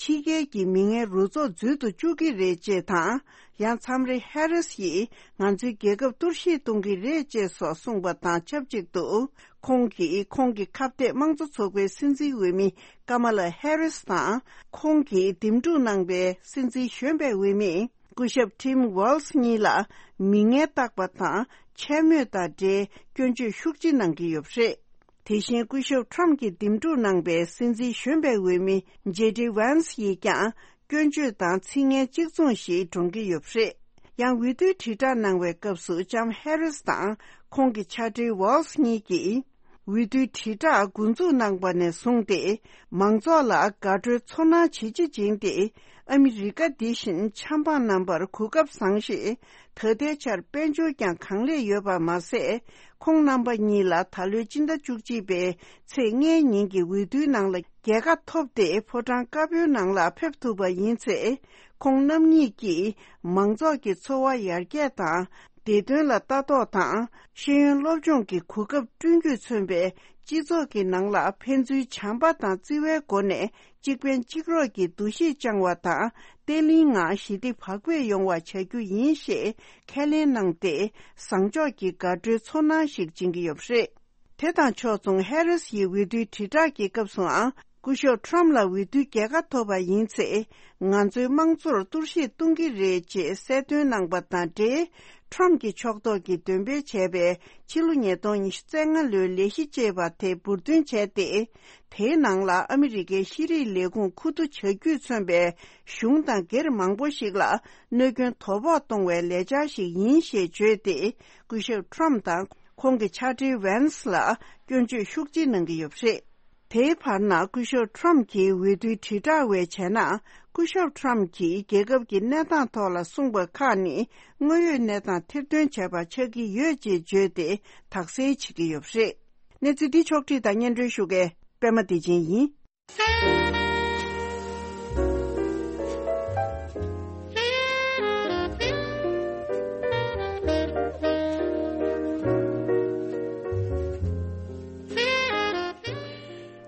ཕྱི་རྒྱལ་གྱི་མི་ངན་རུ་ཚོགས་འཛུལ་དུ་བཅུག་གི་རེད་ཅེས་དང་། ཡང་མཚམས་རེ་ཧེ་རིས་ཡིས་ང་ཚོའི་རྒྱལ་ཁབ་གཏོར་བཤིག་གཏོང་གི་རེད་ཅེས་སོགས་གསུངས་པ་དང་ཆབས་ཅིག་ཏུ། ཁོང་གིས་ཁོང་གི་ཁ་གཏད་དམངས་གཙོ་ཚོགས་པའི་སྲིད་འཛིན་འོས་མི་ཀ་མ་ལ་ཧེ་རིས་དང་། ཁོང་གིས་འདེམས་སྒྲུག་གནང་པའི་སྲིད་འཛིན་གཞོན་པའི་འོས་མི། སྐུ་ཞབས་ཊིམ་ཝོལ་སི་གཉིས་ལ་མི་ངན་བཏགས་པ་དང་འཕྱ་སྨོད་དང་འབྲེལ་སྐྱོན་བརྗོད་ཤུགས་ཆེ་གནང་གི་ཡོད་པ་རེད། དེ་བཞིན་སྐུ་ཞབས་ཊམ་གྱིས་འདེམས་སྒྲུག་གནང་པའི་སྲིད་འཛིན་གཞོན་པའི་འོས་མི་ཇེ་ཌི་ཝན་སི་ཡིས་ཀྱང་སྐྱོན་བརྗོད་དང་ཚིག་ངན་གཅིག་མཚུངས་ཤིག་བགྲང་གི་ཡོད་པ་རེད། ཡང་འོས་བསྡུའི་དྲིལ་བསྒྲགས་གནང་བའི་སྐབས་སུ་ལྕམ་ཧེ་རིས་དང་ཁོང་གི་ཕྱག་སྦྲེལ་ཝོལ་སི་གཉིས་ཀྱིས། འོས་བསྡུའི་དྲིལ་བསྒྲགས་འགོ་འཛུགས་གནང་པ་ནས་བཟུང་སྟེ། མང་ཚོགས་ལ་དགའ་སྤྲོའི་ཚོར་སྣང་ཇེ་ཆེ་ཕྱིན་ཏེ། ཨ་མི་རི་ཀ་འདི་བཞིན་ཆབ་འབངས་རྣམ་པར་གོ་སྐབས་བཟང་ཞིང་། ད་ལྟའི་ཆར་དཔལ་འབྱོར་ཀྱང་གང་ལེགས་ཡོད་པ་མ་ཟད། ཁོང་རྣམ་པ་གཉིས་ལ་ད་ལོའི་སྤྱི་ཟླ་བཅུ་གཅིག་པའི་ཚེས་ལྔའི་ཉིན་གྱི་འོས་བསྡུའི་ནང་ལ་རྒྱལ་ཁ་ཐོབ་སྟེ་ཕོ་བྲང་དཀར་པོའི་ནང་ལ་ཕེབས་ཐུབ་པ་ཡིན་ཚེ། ཁོང་རྣམ་གཉིས་ཀྱིས་མང་ཚོགས་ཀྱི་འཚོ་བ་ཡར་རྒྱས་དང་། བདེ་དོན་ལ་ལྟ་རྟོག་དང་། ཤེས་ཡོན་སློབ་སྦྱོང་གི་གོ་སྐབས་བསྐྲུན་རྒྱུས་མཚོན་པའི་སྤྱི་ཚོགས་ཀྱི་ནང་ལ་ཕན་ཚུན་བྱམས་པ་དང་བརྩེ་བའི་སྒོ་ནས་གཅིག་ཕན་གཅིག་རོགས་ཀྱི་འདུ་ཤེས་བཅངས་བ་དང་། བརྟན་ལྷིང་ངང་ཞི་བདེ་བག་ཕེབས་ཡོང་བ་བྱ་རྒྱུ་ཡིན་ཞེས་ཁས་ལེན་གནང་སྟེ། བཟང་ཕྱོགས་ཀྱི་དགའ་སྤྲོའི་ཚོར་སྣང་ཞིག་སྦྱིན་གྱི་ཡོད་པ་རེད། དེ་དང་ཕྱོགས་མཚུངས་ཧེ་རིས་ཡིས་འོས་བསྡུའི་དྲིལ་བསྒྲགས་ཀྱི་སྐབས་སུའང་། སྐུ་ཞབས་ཊམ་ལ་འོས་བསྡུའི་རྒྱལ་ཁ་ཐོབ་པ་ཡིན་ཚེ། ང་ཚོའི་དམངས་གཙོར་གཏོར་བཤིག་གཏོང་གི་རེད་ཅེས་གསལ་སྟོན་གནང་པ་དང་འབྲེལ། ཊམ་གྱི་ཕྱོགས་གཏོགས་ཀྱིས་འདོན་སྤེལ་བྱས་པའི་ཕྱི་ལོ་ཉིས་སྟོང་ཉི་ཤུ་རྩ་ལྔ་ལོའི་ལས་གཞི་ཅེས་པ་དེ་འབུར་འདོན་བྱས་ཏེ། དེའི་ནང་ལ་ཨ་མི་རི་ཀའི་ཤེས་རིག་ལས་ཁུངས་མཁོ་བསྡུ་བྱ་རྒྱུས་མཚོན་པའི་གཞུང་དང་སྒེར་མང་པོ་ཞིག་ལ་གནོད་སྐྱོན་དོ་ཕོག་གཏོང་བའི་ལས་འཆར་ཞིག་ཡིན་ཞེས་བརྗོད་དེ། སྐུ་ཞབས་ཊམ་དང་ཁོང་གི་ཕྱག་སྦྲེལ་ཝན་སི་ལ་སྐྱོན་བརྗོད་ཤུགས་ཆེ་གནང་གི་ཡོད་པ་རེད། དེའི་བར་ན་སྐུ་ཞབས་ཊམ་གྱིས་འོས་བསྡུའི་དྲིལ་བསྒྲགས་བས་བྱས་ན། སྐུ་ཞབས་ཊམ་གྱིས་རྒྱལ་ཁབ་ཀྱི་གནས་སྟངས་ཐོག་ལ་གསུངས་པ་ཁག་ནི་དངོས་ཡོད་གནས་སྟངས་ཐེར་འདོན་བྱས་པ་ཆགས་ཀྱི་ཡོད་ཅེས་བརྗོད་དེ་དག་སེལ་བྱེད་ཀྱི་ཡོད་པ་རེད། གནས་ཚུལ་འདི་ཕྱོགས་བསྒྲིགས་དང་སྙན་སྒྲོན་ཞུ་མཁན་པད་མ་བདེ་ཆེན་ཡིན།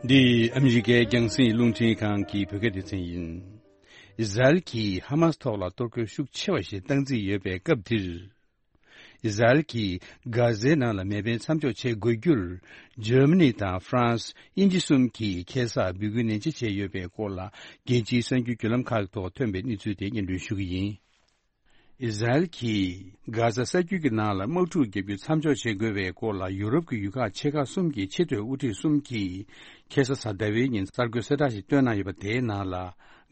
འདི་ཨ་མི་རི་ཀའི་རྒྱང་སྲིང་རླུང་འཕྲིན་ཁང་གི་བོད་སྐད་སྡེ་ཚན་ཡིན། ཨི་ཟ་རེལ་གྱིས་ཧ་མ་སི་ཐོག་ལ་གཏོར་རྒོལ་ཤུགས་ཆེ་བ་ཞིག་བཏང་རྩིས་ཡོད་པའི་སྐབས་འདིར། ཨི་ཟ་རེལ་གྱིས་གྷ་ཟའི་ནང་ལ་མེ་འཕེན་མཚམས་འཇོག་བྱེད་དགོས་རྒྱུར། འཇར་མ་ནི་དང་ཧྥ་རན་སི། དབྱིན་ཇི་གསུམ་གྱིས་ཁ་སང་འབོད་སྐུལ་ནན་ཆེ་བྱས་ཡོད་པའི་སྐོར་ལ། རྒྱལ་སྤྱིའི་གསར་འགྱུར་བརྒྱུད་ལམ་ཁག་ཐོག་ཐོན་པའི་གནས་ཚུལ་དེ་སྙན་སྒྲོན་ཞུ་གི་ཡིན། ཨི་ཟ་རེལ་གྱིས་གྷ་ཟ་ས་རྒྱུད་ཀྱི་ནང་ལ་དམག་འཁྲུག་བརྒྱབ་རྒྱུ་མཚམས་འཇོག་བྱེད་དགོས་པའི་སྐོར་ལ། ཡུ་རོབ་ཀྱི་ཡུལ་ཁག་ཆེ་ཁག་གསུམ་གྱི་ཆེས་མཐོའི་དབུ་ཁྲིད་གསུམ་གྱིས་ཁ་སང་གཟའ་ཟླ་བའི་ཉིན་གསར་འགོད་གསལ་བསྒྲགས་ཤིག་བཏོན་གནང་ཡོད་པ། དེའི་ནང་ལ།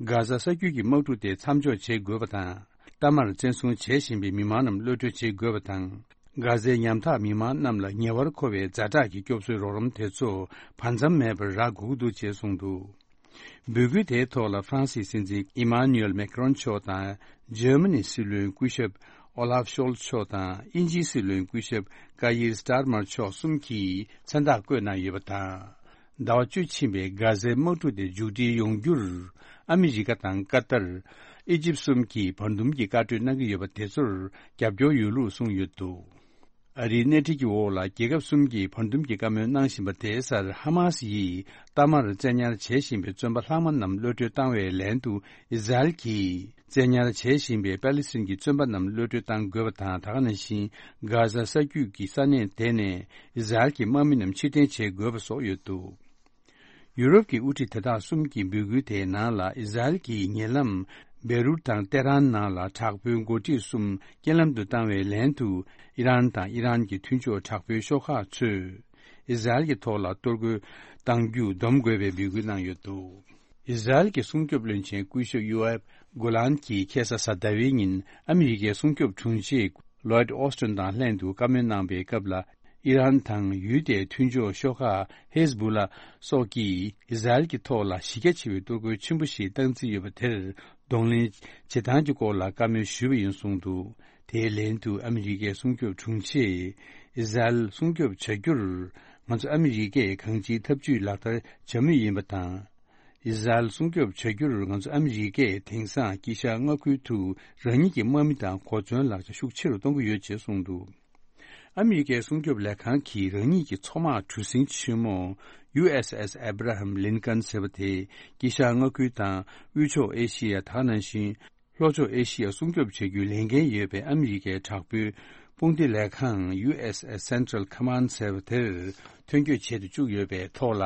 གྷ་ཟ་ས་རྒྱུད་ཀྱི་དམག་འཁྲུག་དེ་མཚམས་འཇོག་བྱེད་དགོས་པ་དང་། གཏའ་མར་བཙན་བཟུང་བྱེད་བཞིན་པའི་མི་མང་རྣམས་གློད་གྲོལ་བྱེད་དགོས་པ་དང་། གྷ་ཟའི་ཉམ་ཐག་མི་མང་རྣམས་ལ་ཉེ་བར་མཁོ་བའི་ཛ་དྲག་གི་སྐྱོབ་གསོའི་རོགས་རམ་དེ་ཚོ་བར་མཚམས་མེད་པར་རག་དགོས་ཀྱི་འདུག་ཅེས་གསུངས་འདུག། འབོད་སྐུལ་དེའི་ཐོག་ལ་ཧྥ་རན་སིའི་སྲིད་འཛིན་ཨི་མཱ་ནུ་ཨེལ་མེ་ཁི་རོན་མཆོག་དང་། འཇར་མ་ནིའི་སྲིད་བློན་སྐུ་ཞབས་ ཨོ་ལཱབ་ཤོལ་མཆོག་དང་དབྱིན་ཇིའི་སྲིད་བློན་སྐུ་ཞབས་ཀ་ཡིར་སྟར་མར་མཆོག་གསུམ་གྱིས་མཚན་རྟགས་བཀོད་གནང་ཡོད་པ་དང་། ཟླ་བ་བཅུ་ཕྱིན་པའི་གྷ་ཟའི་དམག་འཁྲུག་དེ་མཇུག་སྒྲིལ་ཡོང་རྒྱུར། ཨ་མི་རི་ཀ་དང་ཀ་ཏར། ཨི་ཇིབ་གསུམ་གྱིས་བར་འདུམ་གྱི་བཀའ་གྲོས་གནང་གི་ཡོད་པ་དེ་ཚོར་རྒྱབ་སྐྱོར་ཡོད་ལུགས་གསུངས་ཡོད་འདུག་ཨ་རིའི་སྣེ་ཁྲིད་ཀྱི་འོག་ལ་རྒྱལ་ཁབ་གསུམ་གྱིས་བར་འདུམ་གྱི་བཀའ་མོལ་གནང་བཞིན་པ་དེའི་སར། ཧ་མ་སི་ཡིས་མཐའ་མར་བཙན་ཉར་བྱེད་བཞིན་པའི་བཙོན་པ་ལྷག་མ་རྣམས་གློད་གྲོལ་བཏང་བའི་ལན་དུ། ཨི་ཟ་རེལ་གྱིས་བཙན་ཉར་བྱེད་བཞིན་པའི་པ་ལི་སི་ཐན་གྱི་བཙོན་པ་རྣམས་གློད་གྲོལ་གཏང་དགོས་པ་དང་། ད་ག་ནང་བཞིན་གྷ་ཟ་ས་རྒྱུད་ཀྱི་ས་གནས་དེ་ནས་ཨི་ཟ་རེལ་གྱི་དམག་མི་རྣམས་ཕྱིར་འཐེན་བྱེད་དགོས་པ་སོགས་ཡོད་འདུག་ཡུ་རོབ་ཀྱི་དབུ་ཁྲིད་དེ་དག་གསུམ་གྱི་འབོད་སྐུལ་དེའི་ནང་ལ། ཨི་ཟ་རེལ་གྱིས་ཉེ་ལམ་བེ་རུད་དང་ཏེ་རན་ནང་ལ་དྲག་པོའི་འགོ་ཁྲིད་གསུམ་རྐྱེན་ལམ་དུ་བཏང་བའི་ལན་དུ། ཨི་རན་དང་ཨི་རན་གྱི་མཐུན་ཕྱོགས་དྲག་པོའི་ཤོག་ཁག་ཚོས་ཨི་ཟ་རེལ་གྱི་ཐོག་ལ་གཏོར་རྒོལ་གཏང་རྒྱུ་སྡོམ་དགོས་པའི་འབོད་སྐུལ་གནང་ཡོད་འདུག་ཨི་ཟ་རེལ་གྱི་སྲུང་སྐྱོབ་བློན་ཆེན་སྐུ་ཞབས་ཡོ་ཨབ་གོ་ལན་གྱིས་ཁ་སང་གཟའ་ཟླ་བའི་ཉིན་ཨ་མི་རི་ཀའི་སྲུང་སྐྱོབ་དྲུང་ཆེ་ལོའིད་ཨོ་སི་ཊོན་དང་ལྷན་དུ་བཀའ་མོལ་གནང་པའི་སྐབས་ལ། ཨི་རན་དང་ཡུལ་དེའི་མཐུན་ཕྱོགས་ཤོག་ཁག་ཧེ་ཟ་བུ་ལ་སོགས་ཀྱིས་ཨི་ཟ་རེལ་གྱི་ཐོག་ལ་གཞི་རྒྱ་ཆེ་བའི་གཏོར་རྒོལ་ཆེན་པོ་ཞིག་བཏང་རྩིས་ཡོད་པ་དེར་གདོང་ལེན་བྱེད་སྟངས་ཀྱི་སྐོར་ལ་བཀའ་མོལ་ཞུས་པ་ཡིན་གསུངས་འདུག་དེའི་ལན་དུ་ཨ་མི་རི་ཀའི་སྲུང་སྐྱོབ་དྲུང་ཆེས། ཨི་ཟ་རེལ་སྲུང་སྐྱོབ་བྱ་རྒྱུར་ང་ཚོ་ཨ་མི་རི་ཀས་གང་ཅིའི་ཐབས་ཇུས་ལག་བསྟར་བྱ་མུས་ཡིན་པ་དང་། ཨི་ཟ་རེལ་སྲུང་སྐྱོབ་བྱ་རྒྱུར་ང་ཚོ་ཨ་མི་རི་ཀས་དེང་སང་དཀྱིལ་ཤར་མངའ་ཁུལ་དུ་རང་ཉིད་ཀྱི་དམག་མི་དང་གོ་མཚོན་ལག་ཆ་ཤུགས་ཆེ་རུ་གཏོང་གི་ཡོད་ཅེས་གསུངས་འདུག་ཨ་མི་རི་ཀའི་སྲུང་སྐྱོབ་ལས་ཁང་གིས་རང་ཉིད་ཀྱི་མཚོ་དམག་གྲུ་གཟིངས་ཆེན་མོ་ཡུ་ཨེས་ཨེས་ཨེབ་ར་ཧམ་ལིན་ཀན་ཟེར་བ་དེ་དཀྱིལ་ཤར་མངའ་ཁུལ་དང་དབུས་ཕྱོགས་ཨེ་ཤི་ཡ། ད་ག་ནང་བཞིན་ལྷོ་ཕྱོགས་ཨེ་ཤི་ཡ་སྲུང་སྐྱོབ་བྱ་རྒྱུའི་ལས་འགན་ཡོད་པའི་ཨ་མི་རི་ཀའི་དྲག་པོའི་དཔུང་སྡེ་ལས་ཁང་ཡུ་ཨེས་ཨེས་སེན་ཊ་རལ་ཁོ་མན་ཌ་ཟེར་བ་དེར་ཐོན་སྐྱེད་བྱེད་དུ་བཅུག་ཡོད་པའི་ཐོག་ལ།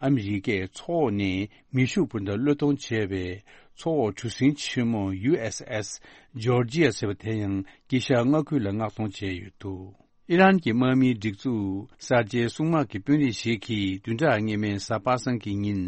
ཨ་མི་རི་ཀས་མཚོ་འོག་ནས་མེ་ཤུགས་འཕུར་མདའ་གློད་གཏོང་བྱས་པའི་མཚོ་འོག་གྲུ་གཟིངས་ཆེན་མོ་ཡུ་ཨེས་ཨེས་ཇོར་ཇི་ཡ་ཟེར་བ་དེ་ཡང་དཀྱིལ་ཤར་མངའ་ཁུལ་ལ་མངགས་གཏོང་བྱས་ཡོད་འདུག་ཨི་རན་གྱི་དམག་མིའི་སྒྲིག་འཛུགས་གསར་བརྗེའི་སྲུང་དམག་གི་དཔོན་རིགས་ཤིག་གིས་བདུན་ཕྲག་སྔོན་མའི་གཟའ་པ་སངས་ཀྱི་ཉིན་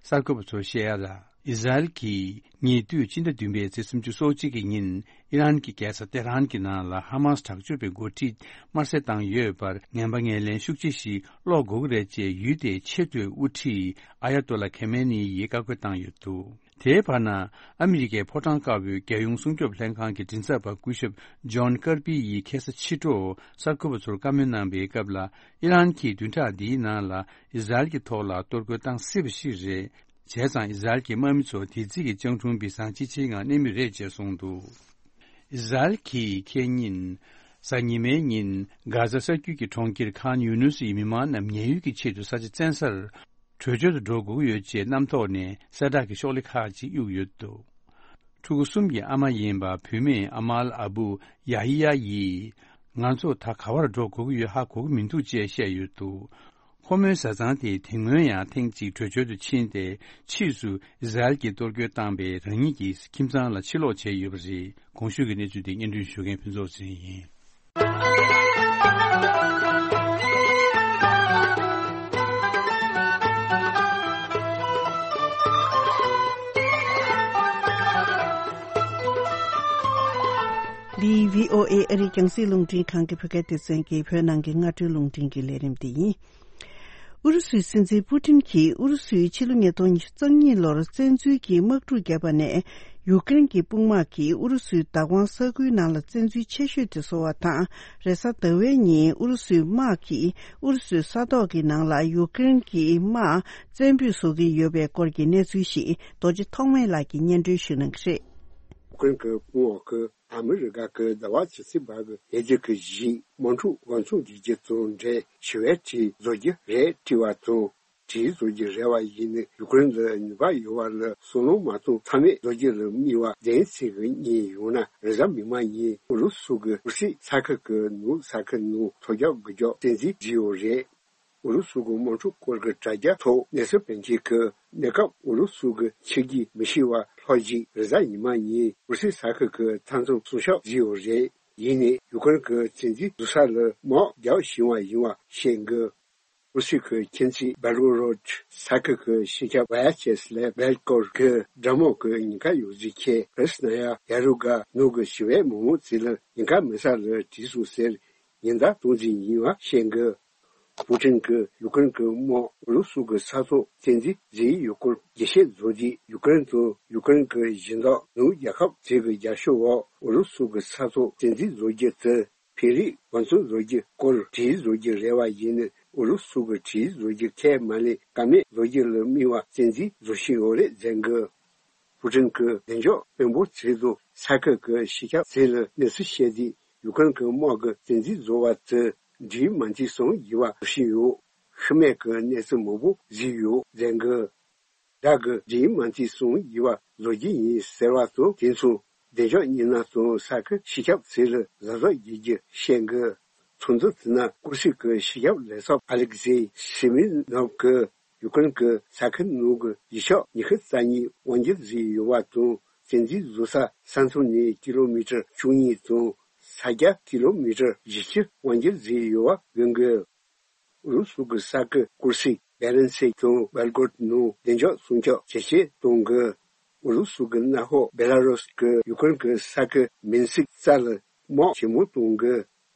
གསར་འགོད་པ་ཚོར་བཤད་ཡ་ལ། ཨི་ཟ་རེལ་གྱིས་ཉེ་དུས་སྤྱི་ཟླ་བདུན་པའི་ཚེས་སུམ་ཅུ་སོ་གཅིག་གི་ཉིན་ཨི་རན་གྱི་རྒྱལ་ས་ཏེ་ཧྲན་གྱི་ནང་ལ་ཧ་མ་སི་དྲག་སྤྱོད་པའི་འགོ་ཁྲིད་དམར་གསོད་བཏང་ཡོད་པར་ངན་པ་ངན་ལན་ཤུགས་ཆེ་ཞིག་སློག་དགོས་ཀྱི་རེད་ཅེས་ཡུལ་དེའི་ཆེས་མཐོའི་དབུ་ཁྲིད་ཨ་ཡ་ཏོ་ལ་ཁེ་མེ་ནི་ཡིས་བཀའ་བཀོད་བཏང་ཡོད་འདུག་དེའི་བར་ན། ཨ་མི་རི་ཀའི་ཕོ་བྲང་དཀར་པོའི་རྒྱལ་ཡོངས་སྲུང་སྐྱོབ་ལྷན་ཁང་གི་མགྲིན་ཚབ་པ་སྐུ་ཞབས་ཇོན་ཀར་པི་ཡིས་ཁ་སང་ཕྱི་དྲོ་གསར་འགོད་པ་ཚོར་བཀའ་མོལ་གནང་པའི་སྐབས་ལ། ཨི་རན་གྱིས་བདུན་ཕྲག་འདིའི་ནང་ལ་ཨི་ཟ་རེལ་གྱི་ཐོག་ལ་གཏོར་རྒོལ་བཏང་སྲིད་པ་ཞིག་རེད། བྱས་ཙང་ཨི་ཟ་རེལ་གྱི་དམག་མི་ཚོ་དེ་རྩིས་ཀྱི་སྤྱང་གྲུང་སྦིས་གསང་ཅི་ཆེའི་ངང་གནས་མུས་རེད་ཅེས་གསུངས་འདུག་ཨི་ཟ་རེལ་གྱིས་ཁེ་ཉིན། གཟའ་ཉི་མའི་ཉིན་གྷ་ཟ་ས་རྒྱུད་ཀྱི་གྲོང་ཁྱེར་ཁཱན་ཡུ་ནུས་ཡི་མི་མང་རྣམས་ཉེན་གཡོལ་གྱི་ཆེད་དུ་ས་ཆ་བཙན་སར་བྲོས་བྱོལ་དུ་འགྲོ་དགོས་ཀྱི་ཡོད་ཅེས་གནམ་ཐོག་ནས་གསལ་བསྒྲགས་ཀྱི་ཤོག་ལྷེ་ཁག་ཅིག་གཡུགས་ཡོད་འདུག་ཕྲུ་གུ་གསུམ་གྱི་ཨ་མ་ཡིན་པ་བུད་མེད་ཨ་མལ་ཨ་བུ་ཡ་ཧི་ཡ་ཡིས། ང་ཚོ་ད་ག་བར་འགྲོ་དགོས་ཀྱི་ཡོད་ཧ་གོ་གི་མི་འདུག་ཅེས་བཤད་ཡོད་འདུག་ཁོ་མོའི་བཟའ་ཚང་དེས་དེ་སྔོན་ཡང་ཐེངས་གཅིག་བྲོས་བྱོལ་དུ་ཕྱིན་ཏེ། ཕྱིས་སུ་ཨི་ཟ་རེལ་གྱིས་གཏོར་རྒོལ་བཏང་པའི་རང་ཉིད་ཀྱི་ཁྱིམ་ཚང་ལ་ཕྱིར་ལོག་བྱས་ཡོད་པ་རེད། གོང་ཞུས་ཀྱི་གནས་ཚུལ་དེ་སྙན་སྒྲོན་ཞུ་མཁན་ཕུན་ཚོགས་ཚེ་རིང་ཡིན། འདི་བྷི་ཨོ་ཨེ་ཨ་རིའི་རྒྱང་སྲིང་རླུང་འཕྲིན་ཁང་གི་བོད་སྐད་སྡེ་ཚན་གྱི་བོད་ནང་གི་སྔ་དྲོའི་རླུང་འཕྲིན་གྱི་ལས་རིམ་དེ་ཡིན། ཨུ་རུ་སུའི་སྲིད་འཛིན་པུ་ཏིན་གྱིས་ཨུ་རུ་སུས་ཕྱི་ལོ་ཉིས་སྟོང་ཉི་ཤུ་རྩ་གཉིས་ལོར་བཙན་འཛུལ་གྱི་དམག་འཁྲུག་བརྒྱབ་པ་ནས། ཡུཀ་རེན་གྱི་དཔུང་དམག་གིས་ཨུ་རུ་སུའི་བདག་དབང་ས་ཁུལ་ནང་ལ་བཙན་འཛུལ་ཆེ་ཤོས་དེ་བཟོ་བ་དང་། རེས་གཟའ་ཟླ་བའི་ཉིན་ཨུ་རུ་སུའི་དམག་གིས་ཨུ་རུ་སུའི་ས་ཐོག་གི་ནང་ལ་ཡུཀ་རེན་གྱི་དམག་བཙན་སྤོས་བཟོ་གི་ཡོད་པའི་སྐོར་གྱི་གནས་ཚུལ་ཞིག་རྡོ་རྗེ་ཐོགས་མེད་ལགས་ཀྱིས་སྙན་སྒྲོན་ཞུ་གནང་གི་རེད། ཡུཀ་རེན་གྱི་དཔུང་འོག་གིས་ཨ་མི་རི་ཀ་གི་ཟླ་བ་ཇི་སྲིད་བར་གྱི་ལོ་རྒྱུས་ཀྱི་གཞི་དམག་འཁྲུག་འགོ་འཛུགས་བྱེད་རྒྱུ་དང་འབྲེལ་ཞི་བའི་གྲས་བཟོ་རྒྱུ་རེད་དྲི་བ་དང་། གྲས་བཟོ་རྒྱུ་རེ་བ་ཡིན་ན་ཡུཀ་རེན་ལ་ནུས་པ་ཡོད་པ་ལ་སོ་ལོང་མ་གཏོང་ཚང་མས་བཟོ་རྒྱུ་ལ་དམིགས་པ་ལྡན་ཚིག་གི་གཉིས་ཡོང་ན། རེས་གཟའ་མིག་དམར་ཉིན་ཨུ་རུ་སུ་གི་ཨུ་སི་ས་ཁུལ་གྱི་ནུབ་ས་ཁུལ་ནང་ཐོལ་རྒྱག་འགུལ་སྐྱོད་བཙན་འཛུལ་བྱས་ཡོད་རེད། ཨུ་རུ་སུ་གི་དམག་འཁྲུག་སྐོར་གྱི་དྲ་རྒྱ་ཐོག་གནས་ཚུལ་སྤེལ་མཁན་གྱིས་གནས་སྐབས་ཨུ་རུ་སུ་གི་ཕྱི་རྒྱལ་མི་ཤེས་པ་ལྷག་ཅིག་རེས་གཟའ་ཉི་མ་ཉིན་ཨུ་སི་ས་ཁུལ་གྱི་མཐའ་མཚམས་སྲུང་སྐྱོབ་བྱས་ཡོད་རེད། ཡིན་ནའི་ཡུཀ་རེན་གྱི་བཙན་འཛུལ་བསྡུར་ས་ལ་དམག་རྒྱག་བཞིན་པ་ཡིན་པ་བཤད་འདུག་ཨུ་སི་ཁུལ་ཁྱིམ་མཚེས་བེལ་གོ་རོད་ས་ཁུལ་གྱི་ཤེས་ཁྱབ་ཝ་ཡ་ཆེ་སི་ལེབ་བེལ་ཀོར་གྱི་དགྲ་དམག་གི་ཉེན་ཁ་ཡོད་ཚུལ་ཁྱེད་ཀྲི་སི་ན་ཡ་ཡ་རུ་ག་ནུབ་ཀྱི་ཞི་བའི་མི་མང་ཚོ་ལ་ཉེན་ཁ་མེད་ས་ལ་བྲོས་སོང་ཟེར་ཉེན་བརྡ་གཏོང་རྩིས་ཡིན་པ་བཤད་འདུག་པུ་ཊིན་གྱིས་ཡུ་ཀེ་རེན་གྱི་དམག་ཨུ་རུ་སུ་གྱི་ས་ཐོག་བཙན་འཛུལ་བཟོས་ཡོད་སྐོར་འགྲེལ་བཤད་བཟོ་རྗེས། ཡུ་ཀེ་རེན་དང་ཡུ་ཀེ་རེན་གྱི་གཞན་དག་ནུབ་རྒྱལ་ཁབ་ཚོ་གི་རྒྱབ་སྐྱོར་འོག་ཨུ་རུ་སུ་གྱི་ས་ཐོག་བཙན་འཛུལ་བཟོ་རྒྱུ་དེ་འཕེན་རིས་འབད་བརྩོན་བཟོ་རྒྱུའི་སྐོར་བྲིས་བཟོ་རྒྱུ་རེ་བ་ཡིན་ནའི་ཨུ་རུ་སུ་གྱིས་བྲིས་བཟོ་རྒྱུ་ཁས་མ་ལེན། ཀ་མེད་བཟོ་རྒྱུ་ལ་དམིགས་པ་བཙན་འཛུལ་བཟོ་བཞིན་ཡོད་རེད་ཟེར་གི། པུ་ཊིན་གྱིས་བདེ་འཇགས་དཔོན་པོ་ཚོ་དང་ས་ཁུལ་གྱི་སྤྱི་ཁྱབ་ཚོ་ལ་གནས་ཚུལ་བཤད་དུས། ཡུ་ཀེ་རེན་གྱི་དམག་གི་བཙན་འཛུལ་བཟོ་བ་དེ་འབྲེལ་ཡོད་མ་མཐའི་སྲུང་ཡིག་པ་བཟོ་བཞིན་ཡོད། ཤི་རྨས་ཀྱི་གནས་ཚུལ་མང་པོ་བཟོས་ཡོད་ཟེར་གི། བདག་གིས་འབྲེལ་ཡོད་མ་མཐའི་སྲུང་ཡིག་པ་བཟོ་རྒྱུ་ཡིན་ཟེར་བ་དང་། དེ་མཚུངས་བདེ་འཇགས་མི་སྣ་དང་ས་ཁུལ་སྤྱི་ཁྱབ་ཚོ་ལ་གཟབ་གཟབ་བྱེད་རྒྱུ་བཤད་གི། ཚོགས་འདུ་དེའི་ནང་ཀུར་སིག་གི་སྤྱི་ཁྱབ་ལས་ཚབ་ཨ་ལེག་ཟེ་ཤི་མི་ནོབ་ཀྱིས་ཡུ་ཀེ་རེན་གྱི་ས་ཁུལ་ནང་གི་གཞིས་ཆགས་ཉི་ཤུ་རྩ་གཉིས་དབང་སྒྱུར་བཟོས་ཡོད་པ་དང་། བཙན་འཛུལ་བཟོ་ས་ས་མཚམས་ནས་ཀི་ལོ་མི་ཊར་བཅུ་གཉིས་དང་ས་རྒྱ་ཀི་ལོ་མི་ཊར་བཞི་བཅུ་དབང་སྒྱུར་བཟོས་ཡོད་པ་འགོད་གི། ཨུ་རུ་སུ་གི་ས་ཁུལ་ཀུར་སིག་བེ་རན་སེ་དང་བྷེལ་གོརོད་ནང་བདེ་འཇགས་སྲུང་སྐྱོབ་ཇེ་ཆེར་གཏོང་གི། ཨུ་རུ་སུ་གི་མནའ་འབྲེལ་བེ་ལ་རུས་ཀྱིས་ཡུ་ཀེ་རེན་གྱི་ས་ཁུལ་མིན་སིག་རྩ་ལ་དམག་ཇེ་མང་གཏོང་གི།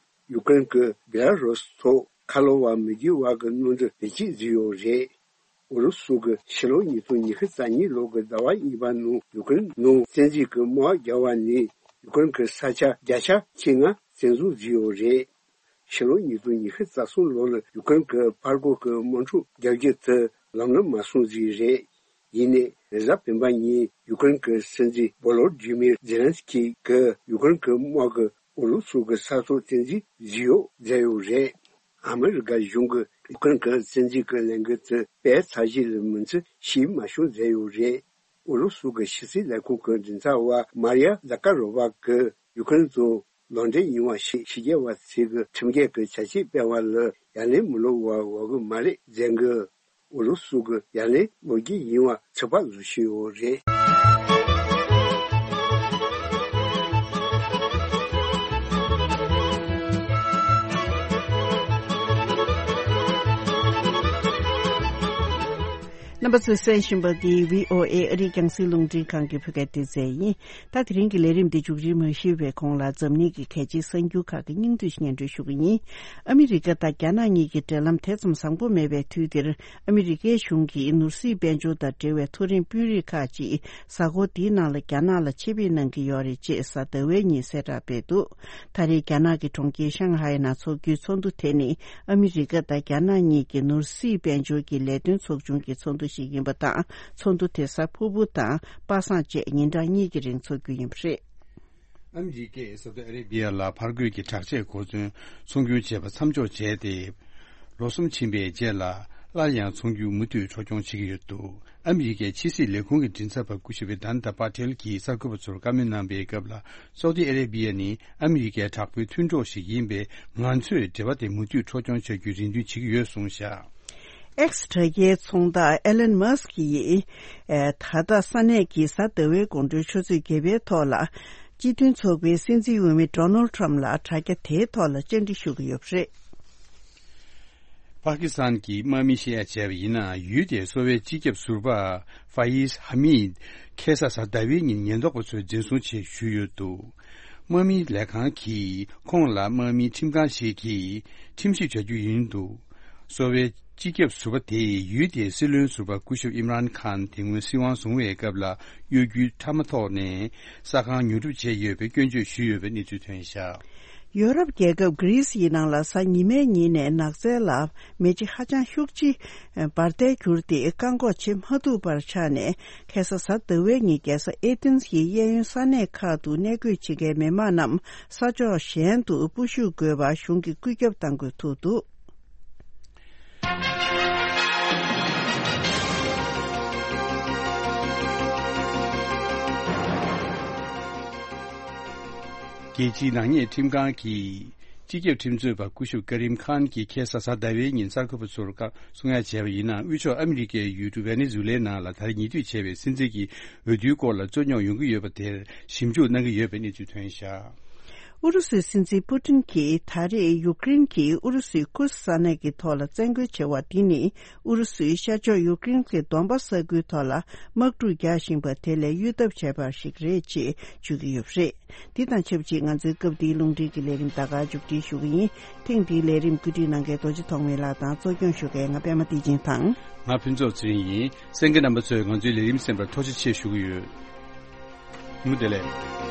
ཡུ་ཀེ་རེན་གྱིས་བེ་ལ་རུས་ཐོག་ཁ་ལོ་བ་མི་དགོས་པ་གི་གནམ་གྲུ་བེད་སྤྱོད་བཟོས་ཡོད་རེད། ཨུ་རུ་སུ་གིས་ཕྱི་ལོ་ཉིས་སྟོང་ཉི་ཤུ་རྩ་གཉིས་ལོ་གི་ཟླ་བ་གཉིས་པ་ནང་ཡུ་ཀེ་རེན་ནང་བཙན་འཛུལ་གྱི་དམག་རྒྱག་པ་ནས་ཡུ་ཀེ་རེན་གྱི་ས་ཆ་བརྒྱ་ཆ་བཅོ་ལྔ་བཙན་བཟུང་བཟོས་ཡོད་རེད། ཕྱི་ལོ་ཉིས་སྟོང་ཉི་ཤུ་རྩ་གསུམ་ལོ་ལ་ཡུ་ཀེ་རེན་གྱི་ཕར་རྒོལ་གྱི་དམག་འཁྲུག་རྒྱག་རྒྱུ་དེ་ལམ་ལ་མ་སོང་ཟིག་རེད། ཡིན་ནའི་རེས་གཟའ་སྤེན་པ་ཉིན་ཡུ་ཀེ་རེན་གྱི་སྲིད་འཛིན་བོ་ལོ་ཌི་མིར་ཛེ་ལན་སི་ཀི་གིས་ཡུ་ཀེ་རེན་གྱི་དམག་གིས་ཨུ་རུ་སུ་གི་ས་ཐོག་བཙན་འཛུལ་བཟོས་ཡོད་ཟེར་ཡོད་རེད། ཨ་མི་རི་ཀ་གཞུང་གིས་ཡུ་ཀེ་རེན་གྱི་བཙན་འཛུལ་གྱི་ལས་འགུལ་དེ་དཔེ་ཚར་གཅིག་ལས་མིན་ཚུལ་ཤེས་མ་བྱུང་ཟེར་ཡོད་རེད། ཨུ་རུ་སུ་གི་ཕྱི་སྲིད་ལས་ཁུངས་ཀྱི་མགྲིན་ཚབ་པ་མ་རི་ཡ་ཛ་ཀ་རོ་ཝ་གིས་ཡུ་ཀེ་རེན་དུ་ལག་འབྲེལ་ཡོང་བ་ཞིག་ཕྱི་རྒྱལ་བ་ཚོས་ཀྱི་ཁྲིམས་འགལ་གྱི་བྱ་སྤྱོད་སྤེལ་བ་ལ་ཡ་ལན་མི་སློག་པར་འོས་ཀྱི་མ་རེད་ཟེར་གི། ཨུ་རུ་སུ་གི་ཡ་ལན་སློག་རྒྱུ་ཡིན་པ་ཚོད་དཔག་བཟོ་བཞིན་ཡོད་རེད། རྣམ་པ་ཚོས་གསན་བཞིན་པ་འདི་བྷི་ཨོ་ཨེ་ཨ་རིའི་རྒྱང་སྲིང་རླུང་འཕྲིན་ཁང་གི་བོད་སྐད་སྡེ་ཚན་ཡིན། ད་དེ་རིང་གི་ལས་རིམ་འདི་མཇུག་སྒྲིལ་མ་ཞུས་པའི་གོང་ལ་འཛམ་གླིང་གི་གལ་ཆེའི་གསར་འགྱུར་ཁག་གི་སྙིང་བསྡུས་ཤིག་སྙན་སྒྲོན་ཞུ་གི་ཡིན། ཨ་མི་རི་ཀ་དང་རྒྱ་ནག་གཉིས་ཀྱི་འབྲེལ་ལམ་དེ་ཙམ་བཟང་པོ་མེད་པའི་དུས་འདིར། ཨ་མི་རི་ཀའི་གཞུང་གིས་ནོར་སྲིད་དཔལ་འབྱོར་དང་འབྲེལ་བའི་མཐོ་རིམ་དཔོན་རིགས་ཁག་ཅིག་གཟའ་འཁོར་འདིའི་ནང་ལ་རྒྱ་ནག་ལ་ཆེད་ཕེབས་གནང་གི་ཡོད་རེད་ཅེས་གཟའ་ཟླ་བའི་ཉིན་གསལ་བསྒྲགས་སྤེལ་འདུག་ད་རེས་རྒྱ་ནག་གི་གྲོང་ཁྱེར་ཤང་ཧའེ་ནང་འཚོགས་རྒྱུའི་ཚོགས་འདུ་དེ་ནི། ཨ་མི་རི་ཀ་དང་རྒྱ་ནག་གཉིས་ཀྱི་ནོར་སྲིད་དཔལ་འབྱོར་གྱི་ལས་དོན་ཚོགས་ཆུང་གི་ཚོགས་འདུ་ཞིག་ཡིན་པ་དང་། ཚོགས་འདུ་དེ་གཟའ་ཕུར་བུ་དང་པ་སངས་བཅས་ཉིན་གྲངས་གཉིས་ཀྱི་རིང་འཚོགས་རྒྱུ་ཡིན་པ་རེད། ཨ་མི་རི་ཀས་སའུ་ཏི་ཨ་རེ་བྷི་ཡ་ལ་ཕར་རྒོལ་གྱི་དྲག་ཆས་གོ་མཚོན་ཚོང་སྒྱུར་བྱས་པ་མཚམས་འཇོག་བྱས་ཏེ། ལོ་གསུམ་ཕྱིན་པའི་རྗེས་ལ་སླར་ཡང་ཚོང་སྒྱུར་མུ་མཐུད་འཕྲོ་སྐྱོང་བྱེད་ཀྱི་ཡོད་འདུག་ཨ་མི་རི་ཀའི་ཕྱི་སྲིད་ལས་ཁུངས་ཀྱི་མགྲིན་ཚབ་པ་སྐུ་ཞབས་དཱན་ད་པ་ཏེལ་གྱིས་གསར་འགོད་པ་ཚོར་བཀའ་མོལ་གནང་པའི་སྐབས་ལ། སའུ་ཏི་ཨ་རེ་བྷི་ཡ་ནི་ཨ་མི་རི་ཀའི་དྲག་པོའི་མཐུན་གྲོགས་ཤིག་ཡིན་པས། ང་ཚོས་འབྲེལ་བ་དེ་མུ་མཐུད་འཕྲོ་སྐྱོང་བྱ་རྒྱུའི་རེ་འདུན་བྱེད་ཀྱི་ཡོད་གསུངས་བཞག་ཨེག་སི་དྲ་རྒྱའི་ཚོང་བདག་ཨེ་ལན་མཱ་སི་ཀི་ཡིས། ཨེ། ད་ལྟ་ས་གནས་ཀྱི་གཟའ་ཟླ་བའི་དགོང་དྲོའི་ཆུ་ཚོད་བརྒྱད་པའི་ཐོག་ལ། སྤྱི་མཐུན་ཚོགས་པའི་སྲིད་འཛིན་འོས་མི་ཌོ་ནལ་ཌི་ཊརམ་ཕ་ལ་དྲ་རྒྱ་དེའི་ཐོག་ལ་བཅར་འདྲི་ཞུ་གི་ཡོད་པ་རེད། པ་ཀི་སི་ཐན་གྱི་དམག་མི་བཤད་ཡ་བྱས་པ་ཡིན་ན། ཡུལ་དེའི་གསོ་བའི་སྤྱི་ཁྱབ་ཟུར་པ་ཧྥ་ཡིས་ཧ་མིད་ཁ་སང་གཟའ་ཟླ་བའི་ཉིན་ཉེན་རྟོག་པ་ཚོས་འཛིན་བཟུང་བྱས་བཞུགས་ཡོད་འདུག་དམག་མིའི་ལས་ཁང་གིས་ཁོང་ལ་དམག་མིའི་ཁྲིམས་ཁང་ཞིག་གིས་ཁྲིམས་ཞིབ་བྱ་རྒྱུ་ཡིན་འདུག་གསོ་བའི་སྤྱི་ཁྱབ་ཟུར་པ་དེས་ཡུལ་དེའི་སྲིད་བློན་ཟུར་པ་སྐུ་ཞབས་ཨིམ་རཱན་ཁཱན་དེ་སྔོན་སྲིད་དབང་བཟུང་བའི་སྐབས་ལ་གཡོ་སྒྱུའི་ཕྲ་མ་ཐོག་ནས་ས་ཁང་ཉོ་སྒྲུབ་བྱས་ཡོད་པའི་སྐྱོན་བརྗོད་ཞུས་ཡོད་པའི་གནས་ཚུལ་ཐོན་བཞག་ཡོ་རོབ་རྒྱལ་ཁབ་གྷི་རི་སི་ཡི་ནང་ལ་གཟའ་ཉི་མའི་ཉིན་ནས་ནགས་ཚལ་ལ་མེ་ལྕེ་ཧ་ཅང་ཤུགས་ཆེ་འབར་མཐའི་གྱུར་ཏེ་བཀག་འགོག་བྱེད་མ་ཐུབ་པར་ཆགས་ནས། ཁ་སང་གཟའ་ཟླ་བའི་ཉིན་རྒྱལ་ས་ཨེ་ཐེན་གྱི་གཡས་གཡོན་ས་གནས་ཁག་ཏུ་གནས་སྡོད་བྱེད་མཁན་མི་མང་རྣམས་ས་ཕྱོགས་གཞན་དུ་སྤོ་བཞུད་དགོས་པར་གཞུང་གིས་བཀོད་ཁྱབ་བཏང་དགོས་ཐུག་འདུག་རྒྱལ་སྤྱིའི་ནག་ཉེས་ཁྲིམས་ཁང་གིས་སྤྱི་ཁྱབ་ཁྲིམས་རྩོད་པ་སྐུ་ཞབས་ཀ་རིམ་ཁཱན་གྱིས་ཁ་སང་གཟའ་ཟླ་བའི་ཉིན་གསར་འགོད་པ་ཚོར་བཀའ་གསུང་ཡ་བྱས་པ་ཡིན་ན། དབུས་ཕྱོགས་ཨ་མི་རི་ཀའི་ཡུལ་གྲུ་ཝེ་ནེ་ཛུ་ལའི་ནང་ལ་ད་རེས་ཉེ་དུས་བྱས་པའི་སྲིད་འཛིན་གྱི་འོས་བསྡུའི་སྐོར་ལ་རྩོད་རྙོག་ཡོང་གི་ཡོད་པ་དེར་ཞིབ་འཇུག་གནང་གི་ཡོད་པའི་གནས་ཚུལ་ཐོན་བཞག་ཨུ་རུ་སུའི་སྲིད་འཛིན་པུ་ཏིན་གྱིས་ད་རེས་ཡུཀ་རེན་གྱིས་ཨུ་རུ་སུའི་ཁུར་ས་གནས་ཀྱི་ཐོག་ལ་བཙན་རྒོལ་བྱས་པ་འདི་ནི། ཨུ་རུ་སུའི་ཤར་ཕྱོགས་ཡུཀ་རེན་གྱི་དོན་པ་ས་ཁུལ་ཐོག་ལ་དམག་འཁྲུག་རྒྱག་བཞིན་པ་དེ་ལས་གཡོལ་ཐབས་བྱས་པ་ཞིག་རེད་ཅེས་བརྗོད་ཀྱི་ཡོད་པ་རེད། འདི་དང་ཆབས་ཅིག་ང་ཚོའི་སྐབས་འདིའི་རླུང་འཕྲིན་གྱི་ལས་རིམ་ད་ག་མཇུག་སྒྲིལ་ཞུ་གི་ཡིན། ཐེངས་འདིའི་ལས་རིམ་བཀོད་སྒྲིག་གནང་མཁན་རྡོ་རྗེ་ཐོགས་མེད་ལགས་དང་། གཙོ་སྐྱོང་ཞུ་མཁན་ང་པད་མ་བདེ་ཆེན་དང་། ང་ཕུན་ཚོགས་ཚེ་རིང་ཡིན། གསན་མཁན་རྣམ་པ་ཚོས་ང་ཚོའི་ལས་རིམ་གསན་པར་ཐུགས་རྗེ་ཆེ་ཞུ་གི་ཡོད། ངོ་བདེ་ལེགས།